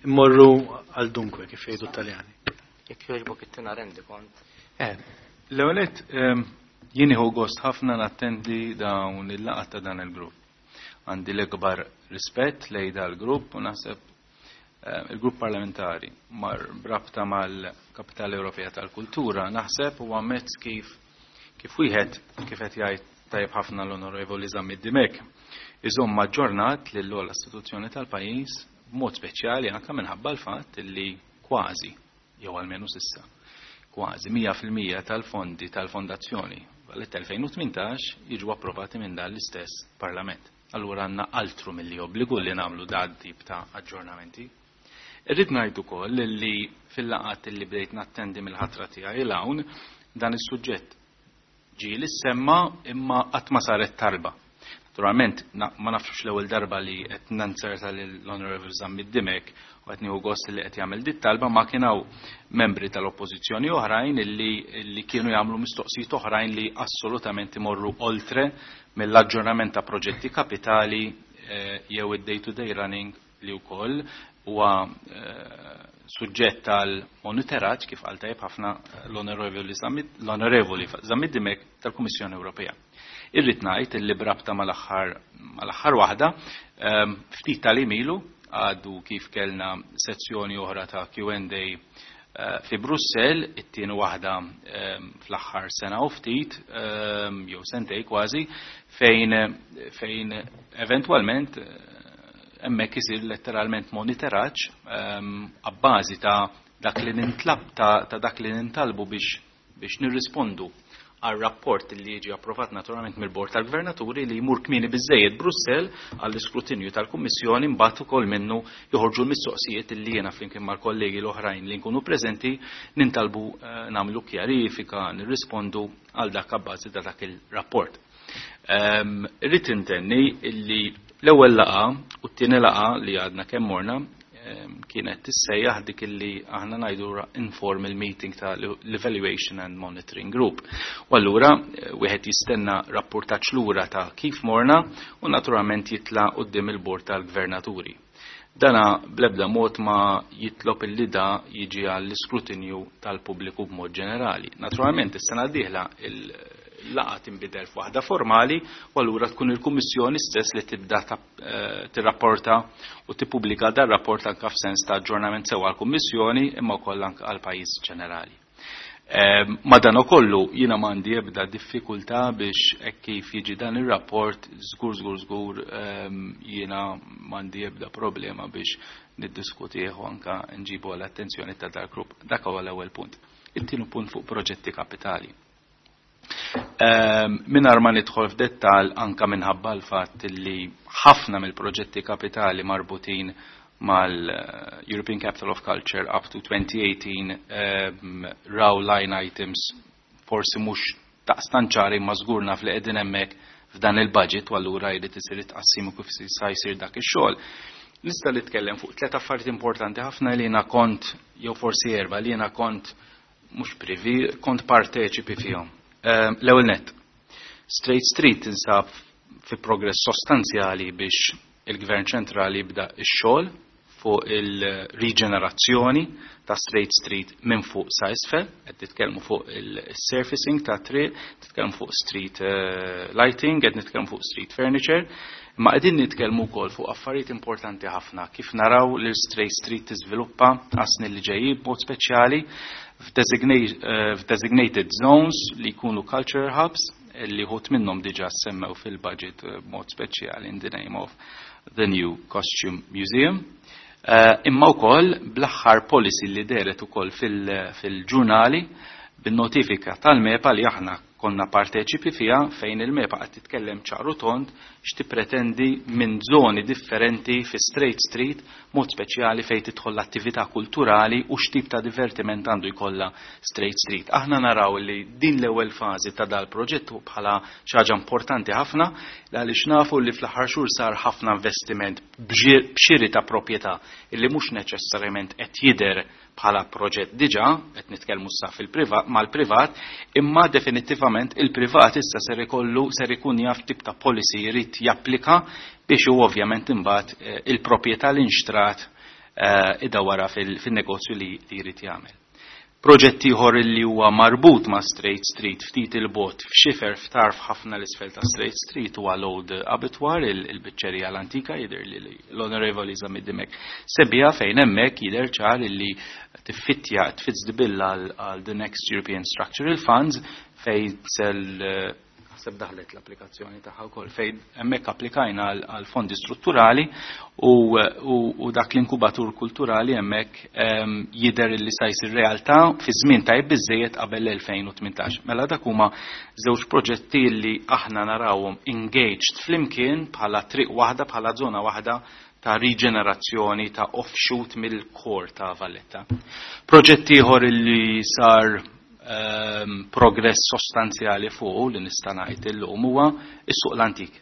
B: immorru għal dunkwe kif jgħidu t-Taljani.
A: Jekk jogħġbok ittina rendi kont.
E: L-ewwel nett jien nieħu gost ħafna nattendi dawn il-laqgħat ta' dan il-grupp. Għandi l-ikbar rispett lejn dal-grupp u naħseb il-grupp parlamentari mar brabta mal-Kapitali Ewropea tal-Kultura naħseb huwa mezz kif kif wieħed kif qed jgħid tajjeb ħafna l-Onorevoli Zammit Dimech iżomm maġġornat lill-ogħla istituzzjoni tal-pajjiż b'mod speċjali anke minħabba l-fatt li kważi jew almenu s'issa kważi mija fil-mija tal-fondi tal-fondazzjoni Valletta elfejn u tmintax jiġu approvati minn dan l-istess Parlament. Allura għandna altru milli obbligu li nagħmlu dan tip ta' aġġornamenti. Irrid ngħid ukoll li fil-laqgħat li bdejt nattendi mill-ħatra tiegħi l hawn dan is-suġġett ġie li semma imma qatt ma saret talba. Naturalment ma nafx l-ewwel darba li qed nanzerta lill-Honorable Zammit Dimech u qed nieħu gost li qed jagħmel dit talba ma kien hawn membri tal-oppożizzjoni oħrajn illi, illi kienu jagħmlu mistoqsijiet oħrajn li assolutament imorru oltre mill-aġġornament ta' proġetti kapitali eh, jew id-day-to-day running li wkoll huwa eh, suġġett tal monitoraġġ kif qal tajjeb ħafna l-Onorevoli Zammit, l-Onorevoli Zammit Dimech tal-Kummissjoni Ewropea. Irrid ngħid illi brabta mal-aħħar mal-aħħar waħda, ehm, ftit tal-imilu għadu kif kellna sezzjoni oħra ta' Q and A, eh, fi Brussell, it-tieni waħda, ehm, fl-aħħar sena u ftit, ehm, jew sentej kważi, fejn, fejn eventwalment, eh, hemmhekk isir letteralment monitoraġġ, ehm, abbażi ta' dak li nintlab, ta', ta' dak li nintalbu biex, biex nirrispondu għal rapport li jiġi approvat naturalment mill-Bord tal-Gvernaturi li jmur kmieni biżejjed Brussell għall-iskrutinju tal-Kummissjoni, mbagħad ukoll minnu joħorġu l-mistoqsijiet li jiena flimkien mal-kollegi l-oħrajn li nkunu preżenti nintalbu eh, nagħmlu kjarifika, nirrispondu għal dak abbażi ta' dak il-rapport. Ehm, irrid intenni illi l-ewwel laqgħa u t-tieni laqgħa li għadna kemm morna ehm, kienet tissejjaħ dik illi aħna ngħidu informal meeting ta' l-Evaluation and Monitoring Group. U allura eh, wieħed jistenna rapportaġġ lura ta' kif morna u naturalment jitla' quddiem il-Bord tal-Gvernaturi. Dana bl-ebda mod ma jitlob illi da jiġi għall-iskrutinju tal-pubbliku b'mod ġenerali. Naturalment is-sena d-dieħla il-laqgħa tinbidel f'waħda formali u allura tkun il-Kummissjoni stess li tibda eh, tirrapporta u tippubblika dar rapport anke f'sens ta' aġġornament sew għall-Kummissjoni imma wkoll anke għall-pajjiż ġenerali. Eh, Madanakollu jiena m'għandi ebda diffikultà biex hekk kif jiġi dan ir-rapport żgur żgur żgur ehm, jiena m'għandi ebda problema biex niddiskutih u anke nġibu l-attenzjoni ta' dal-grupp. Dak huwa l-ewwel punt. It-tieni punt fuq proġetti kapitali. Ehm, Mingħajr ma nidħol f'dettal anka minħabba l-fatt li ħafna mill-proġetti kapitali marbutin mal-European Capital of Culture up to twenty eighteen um, raw line items forsi mhux daqstant ċari, ma żgur naf li qegħdin hemmhekk f'dan il-budget u allura jrid isir it-tqassim u kif sa jsir dak ix-xogħol. Nista' nitkellem fuq tliet affarijiet importanti ħafna li jiena kont, jew forsi erba', li jiena kont mhux privi, kont parteċipi fihom. Ehm, l-ewwel net, Strait Street tinsab fi progress sostanzjali biex il-Gvern ċentrali jibda x-xogħol fuq il-riġenerazzjoni ta' Strait Street minn fuq sa isfel, qed nitkellmu fuq il-surfacing ta' triq, nitkellmu fuq street eh, lighting, qed nitkellmu fuq street furniture, imma qegħdin nitkellmu wkoll fuq affarijiet importanti ħafna kif naraw li Strait Street tiżviluppa għas-snin li ġejjin, b'mod speċjali eh, f'designated zones li jkunu culture hubs, li wħud minnhom diġà semmew fil-budget, eh, b'mod speċjali in the name of the new Costume Museum. Uh, imma wkoll bl-aħħar policy li dehret ukoll fil-ġurnali bin-notifika tal-MEPA li aħna konna parteċipi fiha, fejn il-MEPA qed titkellem ċaru tond x'tippretendi minn żoni differenti fi Strait Street, mod speċjali fejn tidħol l-attività kulturali u x'tip ta' divertiment għandu jkollha Strait Street. Aħna naraw li din l-ewwel fażi ta' dal-proġett bħala xi ħaġa importanti ħafna, għaliex nafu li fl-aħħar xhur sar ħafna investiment b'xiri ta' proprjetà illi mhux neċessarjament qed jidher bħala proġett diġà, qed nitkellmu sa fil-privat mal-privat, imma definitivament il-privat issa ser ikollu ser ikun jaf tip ta' policy jrid japplika biex hu ovvjament imbagħad eh, il-proprjetà li nxtrat eh, idawara fil-negozju li jrid jagħmel. Proġett ieħor li huwa marbut ma' Strait Street ftit il-bogħod, f'xifer f'tarf ħafna l-isfel ta' Strait Street, huwa l-Old Abattoir, il-biċċerija l-antika, jidher li l-Onorevoli Zammit Dimech sebbiha, fejn hemmhekk jidher ċar li tiffittja, tfits the bill għal the next European Structural Funds, fejn sel naħseb daħlet l-applikazzjoni tagħha wkoll, fejn hemmhekk applikajna għal fondi strutturali u, u, u dak l-inkubatur kulturali hemmhekk um, jidher li sa jsir realtà fi żmien tajb biżejjed qabel l-elfejn u tmintax. Mela dak huma żewġ proġetti li aħna narawhom engaged flimkien bħala triq waħda, bħala żona waħda ta' riġenerazzjoni ta' offshoot mill-core ta' Valletta. Proġett ieħor li sar um, progress sostanzjali fuq li nista' ngħid illum huwa is-suq l-antik.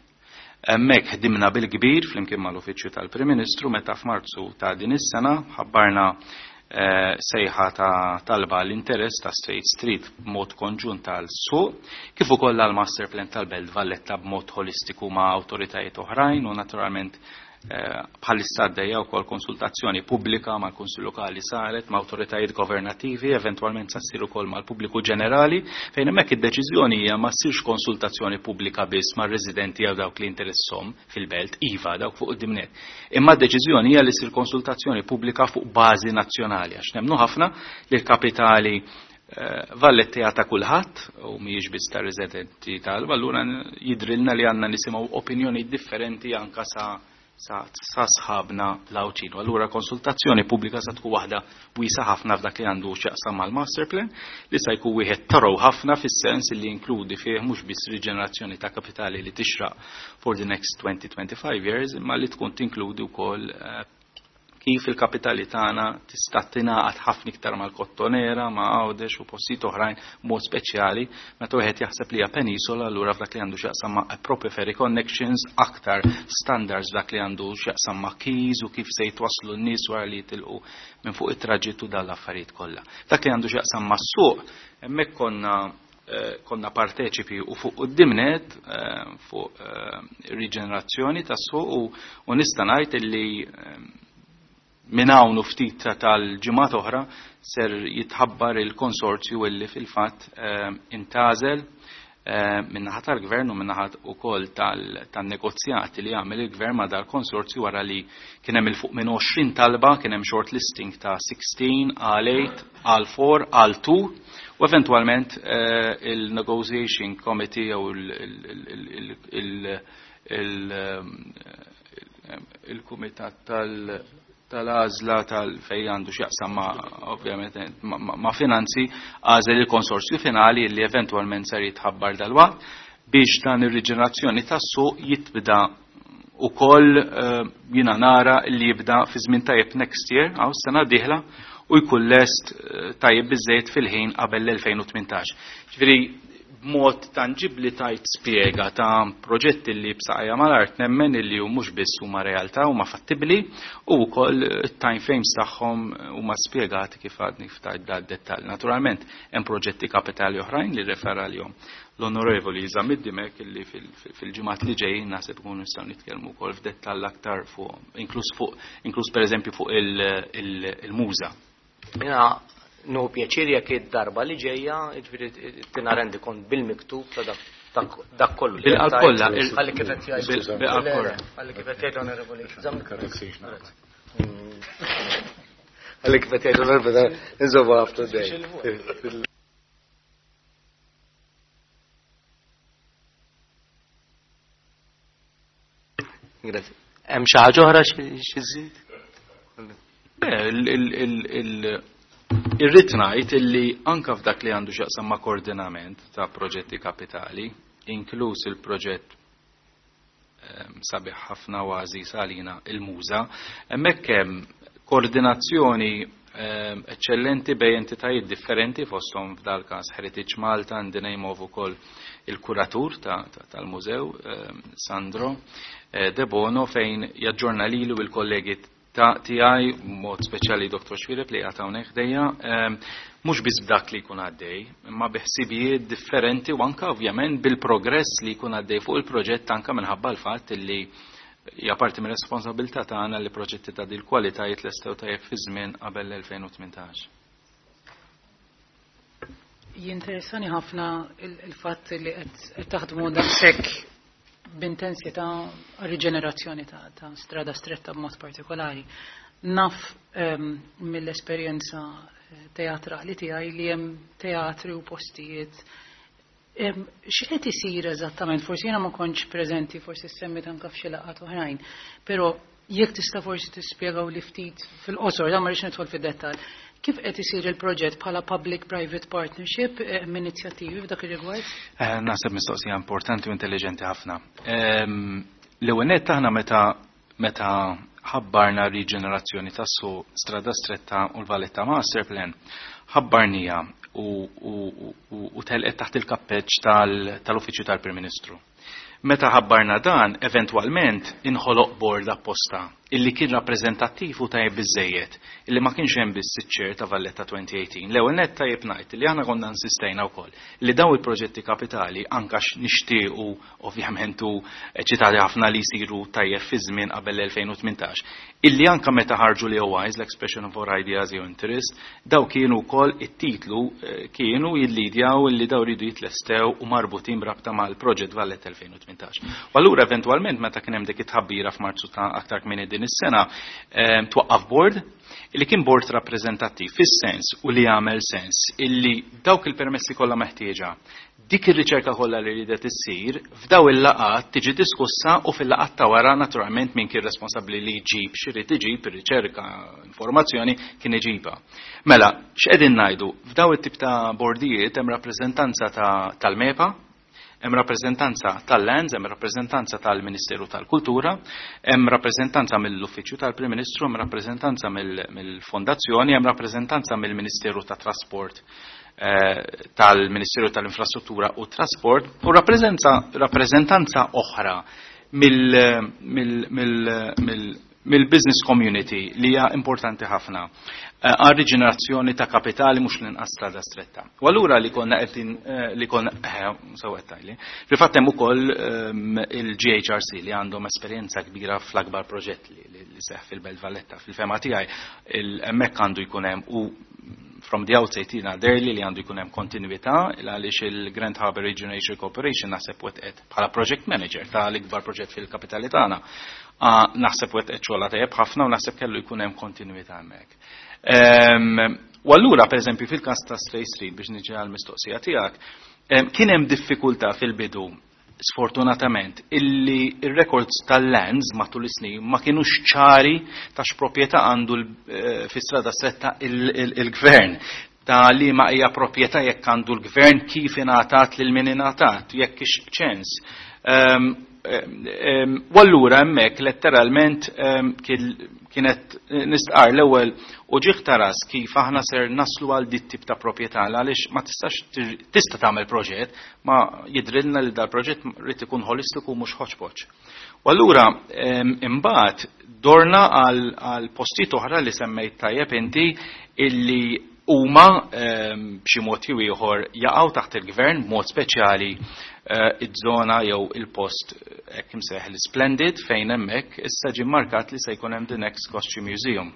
E: Hemmhekk ħdimna bil-kbir flimkien mal-Uffiċċju tal-Prim Ministru meta f'Marzu ta' din is-sena ħabbarna eh, sejħa ta' talba l-interess ta' Strait Street b'mod konġunt tal-suq kif ukoll għal-Master Plan tal-Belt Valletta b'mod holistiku ma' awtoritajiet oħrajn, u naturalment eh, bħalissa għaddejja wkoll konsultazzjoni pubblika mal-Kunsill Lokali, saret ma' awtoritajiet governattivi, eventwalment sa ssir ukoll mal-pubbliku ġenerali, fejn hemmhekk id-deċiżjoni hija ma ssirx konsultazzjoni pubblika biss mar-residenti jew dawk li interesshom fil-belt, iva, dawk fuq quddiem nett. Imma d-deċiżjoni hija li ssir konsultazzjoni pubblika fuq bażi nazzjonali, għax nemmnu ħafna li l-kapitali eh, Valletta ta' kulħadd u mhijiex biss ta' residenti tal, allura jidrilna li għandna nisimgħu opinjoni differenti anka sa sa sħabna l-Għawdxin. U allura konsultazzjoni pubblika sa tkun waħda wiesa ħafna f'dak li għandu x'jaqsam mal-master plan li sa jkun wieħed taraw ħafna fis-sens li jinkludi fih mhux biss riġenerazzjoni ta' kapitali li tixraq for the next twenty to twenty-five years, imma li tkun tinkludi wkoll kif il-kapitali tagħna tista' tingħaqad ħafna iktar mal-Kottonera, ma' Għawdex u postijiet oħrajn mod speċjali meta wieħed jaħseb li hija penisola, allura f'dak li għandu x'jaqsam ma' proper ferry connections, aktar standards f'dak li għandu x'jaqsam ma' keys u kif se jitwasslu n-nies wara li jitilqu minn fuq it-traġittu dan l-affarijiet kollha. Dak li għandu x'jaqsam mas-suq, hemmhekk konna konna parteċipi u fuq qudiemnet fuq riġenerazzjoni tas-suq u nista' ngħid illi minn hawn u ftit tal-ġimgħat oħra ser jitħabbar il-konsorzju illi fil-fatt intażel min-naħa tal-gvern u min-naħa wkoll tan-negozjati li għamel il-gvern ma' dal-konsorzju wara li kien hemm il fuq minn għoxrin talba, kien hemm shortlisting ta' sixteen, għal eight, għal four, għal two, u eventwalment il-negotiation committee jew il-kumitat tal- tal-għażla tal-fej għandu x'jaqsam ma' ovvjament ma' finanzi għażel il-konsorzju finali li eventwalment ser jitħabbar dalwaqt biex dan ir-riġenerazzjoni tas-suq jitbda ukoll jiena nara li jibda fi żmien tajjeb next year, għaw sena d-dieħla, u jkun lest tajjeb biżejjed fil-ħin qabel l-elfejn u tmintax. Ġifieri b'mod tanġibli tajt spjega ta' proġetti li b'saqajja mal-art nemmen illi hu mhux biss huma realtà huma fattibbli u wkoll it-time frames tagħhom huma spjegati kif għadni ftajt da dettall. Naturalment hemm proġetti kapitali oħrajn li refera għalihom l-Onorevoli Zammit Dimech illi fil-ġimgħat li ġejjin naħseb ikunu nistgħu nitkellmu wkoll f'dettall aktar fuq inkluż fuq inkluż pereżempju fuq il-muża.
A: Jiena nuhu pjaċir jekk id-darba li ġejja, jiġifieri tina rendi kont bil-miktub ta' dak, dak kollu li
E: Bil-qalb
A: qed
E: kollha,
A: tgħid.
E: il-
A: Ħalli kif qed jgħid.
E: bil-, bil-qalb kollha.
A: Ħalli kif qed jgħid Onorevoli Zammit. Ħalli kif qed jgħid Onorevoli, inżommu up to date. Grazie. Hemm xi ħaġa oħra xi żżid?
E: Le, il-, il-, il-, il-, irrid ngħid illi anke f'dak li għandu x'jaqsam ma' koordinament ta' proġetti kapitali, inkluż il-proġett, ehm, sabiħ ħafna u għażiż għalina il-Muża, hemmhekk hemm koordinazzjoni, ehm, eċċellenti bejn entitajiet differenti fosthom f'dal każ Heritage Malta, and the name of ukoll il-kuratur ta', ta', tal-mużew, ehm, Sandro, eh, De Bono, fejn jaġġorna lilu u l-kollegi ta' tiegħi, mod speċjali Doktor Xuereb li qiegħed hawnhekk ħdejja, ehm, mhux biss b'dak li jkun għaddej, imma bi ħsibijiet differenti u anke ovvjament bil-progress li jkun għaddej fuq il-proġett anke minħabba l-fatt li hija parti mir-responsabilità tagħna li proġetti ta' dil kwalità jitlestew tajjeb fi żmien qabel l-elfejn u tmintax.
D: Jinteressani ħafna il-, il-fatt li qed taħdmu daqshekk b'intensità riġenerazzjoni ta', ta' strada stretta b'mod partikolari. Naf, ehm, mill-esperjenza teatrali tiegħi li hemm teatri u postijiet. Ehm, x'qed isir eżattament? Forsi jiena ma kontx preżenti, forsi semmit anke f'xi laqgħat oħrajn, però jekk tista' forsi tispjegaw li ftit fil-qosor, dan ma rridx nidħol fid-dettall. Kif qed isir il-proġett bħala public-private partnership, eh, minn inizjattivi f'dak ir-rigward?
E: Eh, naħseb mistoqsija importanti u intelligenti ħafna. Ehm, l-ewwel nett aħna meta, meta ħabbarna riġenerazzjoni tas-suq Strada Stretta u l-Valletta Master Plan, ħabbarnija u, u, u, u telqet taħt il-kappeġġ tal-, tal-Uffiċċju tal-Prim Ministru. Meta ħabbarna dan, eventwalment inħoloq board apposta illi kien rappreżentattiv u tajjeb biżejjed, illi ma kienx hemm biss iċ-chair ta' Valletta twenty eighteen. L-ewwel nett tajjeb ngħid li aħna konna insistejna wkoll li dawn il-proġetti kapitali anke nixtiequ ovvjament u eċitati ħafna li jsiru tajjeb fi żmien qabel l-elfejn u tmintax. Illi anke meta ħarġu l E O Is, l-Expression of Our Ideas jew Interest, daw kienu wkoll it-titlu, eh, kienu jillidjaw illi daw ridu jitlestew u marbutin b'rabta mal-proġett Valletta elfejn u tmintax. U allura eventwalment meta kien hemm dik it-tħabbira f'Marzu ta' aktar kmieni din is-sena, ehm, twaqqaf board Illi kien bord rappreżentattiv fis-sens u li jagħmel sens illi dawk il-permessi kollha meħtieġa, dik ir-riċerka kollha li ridet issir, f'daw il-laqat tiġi diskussa u fil-laqat ta' wara naturalment min kien responsabbli li jġib x'irid iġib ir-riċerka, informazzjoni kien iġibha. Mela, x'qegħdin ngħidu? F'daw it-tip ta' bordijiet hemm rappreżentanza tal-MEPA, hemm rappreżentanza tal-Lands, hemm rappreżentanza tal-Ministeru tal-Kultura, hemm rappreżentanza mill-Uffiċċju tal-Prim Ministru, hemm rappreżentanza mill-Fondazzjoni, hemm rappreżentanza mill-Ministeru tat-Trasport, tal-Ministeru tal-Infrastruttura u Trasport, u rappreżentanza oħra mill-business community li hija importanti ħafna għal riġenerazzjoni ta' kapitali mhux l-inqas Strada Stretta. U allura li konna qegħdin li konna sew qed tgħidli. Fil-fatt hemm ukoll il-G H R C li għandhom esperjenza kbira fl-akbar proġett li seħħ fil-Belt Valletta. Fil-fema tiegħi hemmhekk għandu jkun hemm u from the outset jiena derli li għandu jkun hemm kontinwità għaliex il-Grand Harbour Regeneration Corporation naħseb wetqet bħala project manager tal-ikbar proġett fil-kapitali tagħna. Naħseb wetqet xogħla tajjeb ħafna u naħseb kellu jkun hemm kontinwità hemmhekk. U allura pereżempju fil-każ ta' Stray Street biex niġi għall-mistoqsija tiegħek, kien hemm diffikultà fil-bidu sfortunatament illi ir-records tal-lands matul is-snin ma kienux ċari ta' x'proprjetà għandu fi Strada Stretta il-gvern, ta' li ma hija proprjetà jekk għandu l-gvern, kif ingħatat lil min ingħatat, jekk ix ċens. U allura hemmhekk letteralment kienet nistqar l-ewwel u ġieħ taras kif aħna ser naslu għal dit tip ta' proprjetà għaliex ma tistax tista' tagħmel proġett ma jidrilna li dal-proġett rid ikun holistiku mhux hodgepodge. U allura imbagħad dorna għal postijiet oħra li semmejt tajjeb inti illi huma b'xi mod jew ieħor jaqgħu taħt il-gvern b'mod speċjali iż-żona jew il-post hekk imsejjaħ l-Splendid fejn hemmhekk issa ġie markat li se jkun hemm the next Costume Museum.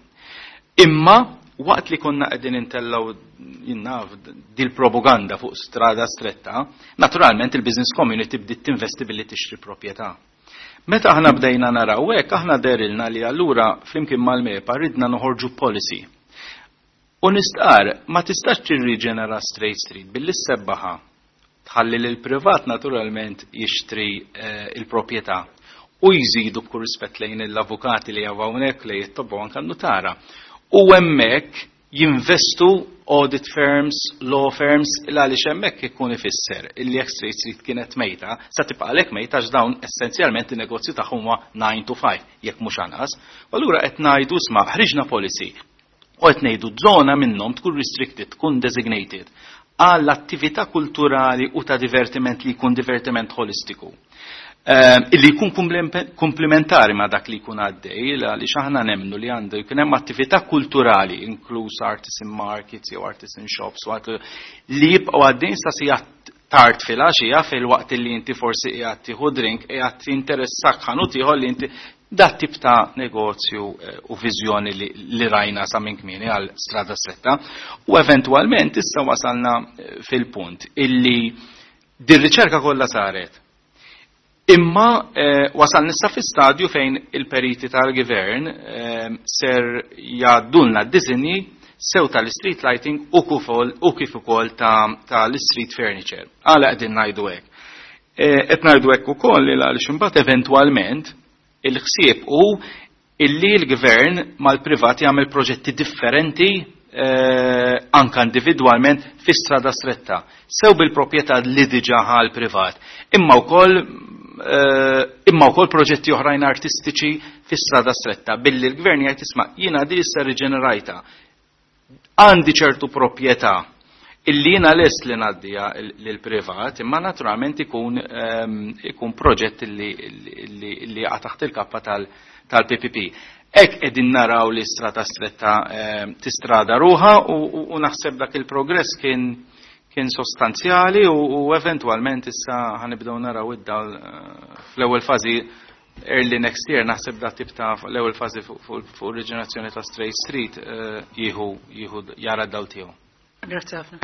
E: Imma waqt li konna qegħdin intellgħu jinnaf dil-propaganda fuq Strada Stretta, naturalment il-business community bdiet tinvesti billi tixtri proprjetà. Meta aħna bdejna naraw hekk, aħna derilna li allura flimkien mal-MEPA ridna noħorġu policy. U nistqar, ma tistax tirriġenera Strait Street billi ssebbaħa tħalli lil privat naturalment jixtri il-proprjetà u jżidu b'kull rispett lejn l-avukati li jaw hawnhekk li jittobbu anke n-nutara. U hemmhekk jinvestu audit firms, law firms, għaliex hemmhekk ikun ifisser illi jekk Strait Street kienet mejta, sa tibqa' għalhekk mejta għax dawn essenzjalment in-negozju tagħhom huwa nine to five, jekk mhux anqas. U allura qed ngħidu isma' ħriġna policy u qed ngħidu żona minnhom tkun restricted, tkun designated għall-attività kulturali u ta' divertiment li jkun divertiment holistiku. Illi jkun komplementari ma' dak li jkun għaddej, għaliex aħna nemmnu li għandu jkun hemm attività kulturali, inkluż artisan markets jew artisan shops, li jibqgħu għaddejn sa sija tard fil-għaxija fil-waqt li inti forsi qiegħed tieħu drink, qiegħed tinteressak ħanut ieħor li inti dat tip ta' negozju u viżjoni li rajna sa minn kmieni għal Strada Stretta. U eventwalment issa wasalna fil-punt illi dir-riċerka kollha saret. Imma wasalna issa fi stadju fejn il-periti tal-gvern ser jgħaddulna d-disinji sew tal-street lighting u kif ukoll tal-street furniture. Għala qegħdin ngħidu hekk. Qed ngħidu hekk ukoll għaliex imbagħad eventwalment il-ħsieb hu illi l-gvern mal-privat jagħmel proġetti differenti anka individwalment fi Strada Stretta, sew bil-proprjetà li diġà ħa l-privat, imma wkoll imma wkoll proġetti oħrajn artistiċi fi Strada Stretta, billi l-gvern jgħid isma' jiena di issa riġenerajta, għandi ċertu proprjetà illi jiena lest li ngħaddija lill-privat, imma naturalment ikun ikun proġett illi illi jaqa' taħt il-kappa tal-P P P. Hekk qegħdin naraw li Strada Stretta tistrada ruha u naħseb dak il-progress kien kien sostanzjali u eventwalment issa ħanibdew naraw id-dawl fl-ewwel fażi early next year, naħseb da tip ta' l-ewwel fażi fuq riġenerazzjoni ta' Strait Street jieħu jieħu jara d-dawl tiegħu.
D: Grazzi ħafna.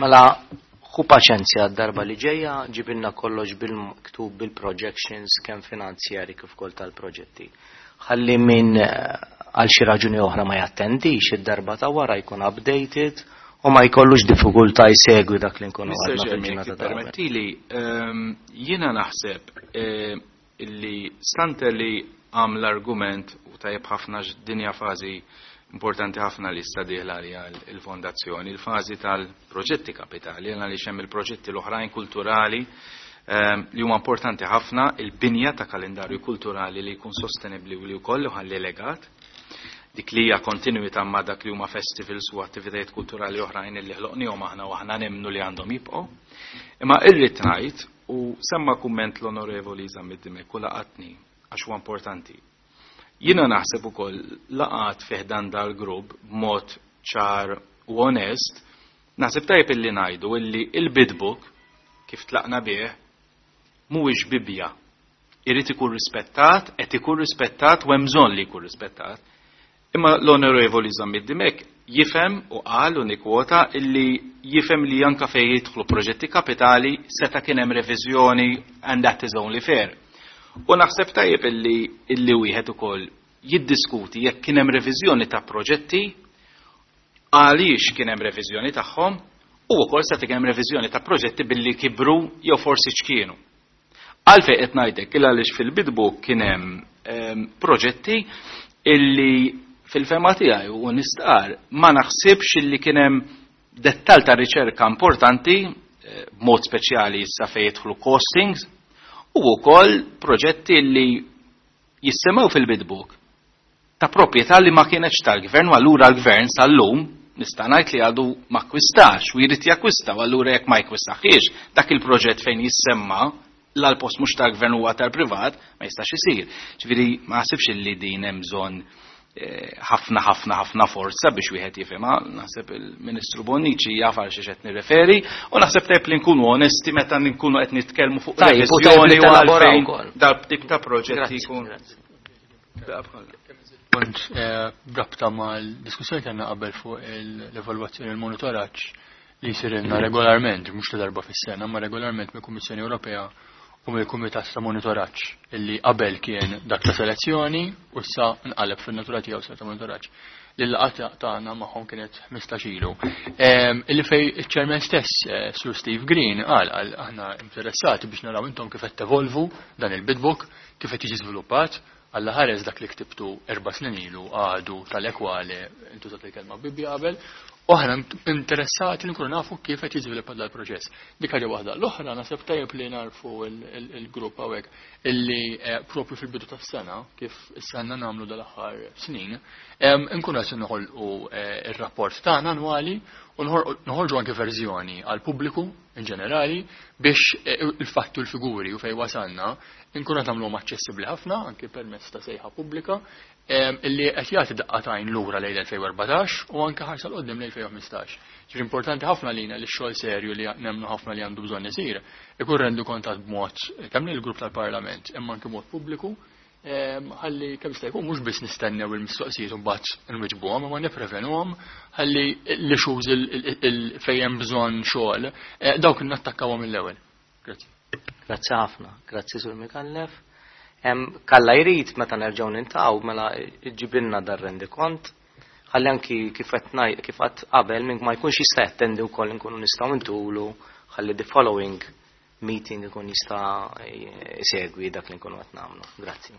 A: Mela, ħu paċenzja d-darba li ġejja, ġibilna kollox bil-miktub bil-projections kemm finanzjari kif ukoll tal-proġetti. Ħalli min għal xi raġuni oħra ma jattendix, id-darba ta' wara jkun updated u ma jkollux diffikultà jsegwi dak li nkunu għadna fil-ġurnata ta' qabel.
E: Permettili, ehm, jiena naħseb eh, illi stante li għam l-argument u tajjeb ħafna dinja fażi importanti ħafna li issa dieħla għalija il-fondazzjoni, il-fażi tal-proġetti kapitali, għaliex hemm il-proġetti l-oħrajn kulturali ehm, li huma importanti ħafna, il-binja ta' kalendarju kulturali li jkun sostenibbli u li wkoll ħalli legat, dik li hija kontinuità ma' dak li huma festivals u attivitajiet kulturali oħrajn li ħloqnihom aħna u aħna nemmnu li għandhom jibqgħu. Imma irrid ngħid u semma kumment l-Onorevoli Zammit Dimech u laqatni għax huwa importanti. Jiena naħseb ukoll laqat fih dan dal-grupp b'mod ċar u onest, naħseb tajjeb illi ngħidu illi il-bid book kif tlaqna bih mhuwiex Bibbja. Irid ikun rispettat, qed ikun rispettat u hemm bżonn li jkun rispettat. Imma l-Onorevoli Zammit Dimech jifhem u qal u nikwota illi jifhem li anka fejn jidħlu proġetti kapitali seta' kien hemm reviżjoni and that is only fair. U naħseb tajjeb illi illi wieħed ukoll jiddiskuti jekk kien hemm reviżjoni ta' proġetti, għaliex kien hemm reviżjoni tagħhom u wkoll seta' kien hemm reviżjoni ta' proġetti billi kibru jew forsi ċkienu. Għalfejn qed ngħidlek il għaliex fil-bid book kien hemm ehm, proġetti illi fil-fehma tiegħi u nistqar ma naħsibx illi kien hemm dettal ta' riċerka importanti eh, b'mod speċjali issa fejn jidħlu costings u wkoll proġetti li jissemmew fil-bid book ta' proprjetà li ma kienx tal-gvern u allura l-gvern sal-lum nista' ngħid li għadu ma akkwistax u jrid jakkwista u allura jekk ma jakkwistax dak il-proġett fejn jissemma l-post mhux tal-gvern huwa tal-privat ma jistax isir. Ġifieri ma naħsibx illi din hemm bżonn eh, ħafna ħafna ħafna forza biex wieħed jifhimha, naħseb il-Ministru Bonnici jaf għal xiex qed nirreferi u naħseb tajjeb li nkunu onesti meta nkunu qed nitkellmu fuq
A: Tajjeb, u tajjeb li
E: reviżjoni u
A: telaboraw
E: għalfejn
A: ukoll.
E: dal-tip ta' proġetti
A: Grazzi,
E: jkun.
A: grazzi.
F: Punt eh, b'rabta mal-diskussjoni kellna qabel fuq l-evalwazzjoni u l-monitoraġġ li jsirilna regolarment, mhux ta' darba fis-sena, ma regolarment mill-Kummissjoni Ewropea u mill-Kumitat ta' Monitoraġġ illi qabel kien dak ta' selezzjoni u issa nqaleb fin-natura tiegħu sa ta' monitoraġġ. Li l-laqgħa tagħna magħhom kienet ħmistax ilu. Em, Illi fej iċ-chairman stess, eh, Sir Steve Green, qal qal aħna interessati biex naraw intom kif qed tevolvu dan il-bid book, kif qed jiġi żviluppat, Alla ħares dak li ktibtu erba' snin ilu għadu tal-ekwale, intużat il-kelma Bibbja qabel, u aħna interessati li nkunu nafu kif qed jiżviluppa dal-proċess. Dik ħaġa waħda. L-oħra naħseb tajjeb li narfu il-grupp hawnhekk illi eh, propju fil-bidu tas-sena, kif issa nagħmlu dal-aħħar snin, em, nkunu qed noħolqu eh, ir-rapport tagħna annwali u noħorġu anke verżjoni għal pubbliku in ġenerali biex eh, il-fatti u l-figuri u fej wasalna nkunu qed nagħmluhom aċċessibbli ħafna anke permezz ta' sejħa pubblika em, illi qed jagħti daqqa t'għajn lura lejn elfejn u erbatax u anke ħarsa 'l quddiem lejn elfejn u ħmistax. Ġifieri importanti ħafna lina li x-xogħol serju li nemmnu ħafna li għandu bżonn isir ikun rendikontat b'mod kemm lill-grupp tal-Parlament imma anke mod pubbliku em, ħalli kemm jista' jkun mhux biss nistennew il-mistoqsijiet u mbagħad nwiġbuhom imma nipprevenuhom ħalli l-issues fejn hemm bżonn xogħol eh, dawk nattakkawhom mill-ewwel. Grazzi.
A: Grazzi ħafna, grazzi Sur Micallef. Em, Kalla jrid meta nerġgħu niltaqgħu mela ġibilna dar rendikont. Ħalli anki kif qed ngħid kif qatt qabel minn ma jkunx jista' jattendi wkoll nkunu nistgħu ntulu ħalli the following meeting ikun jista' jsegwi dak li nkunu qed nagħmlu. Grazzi.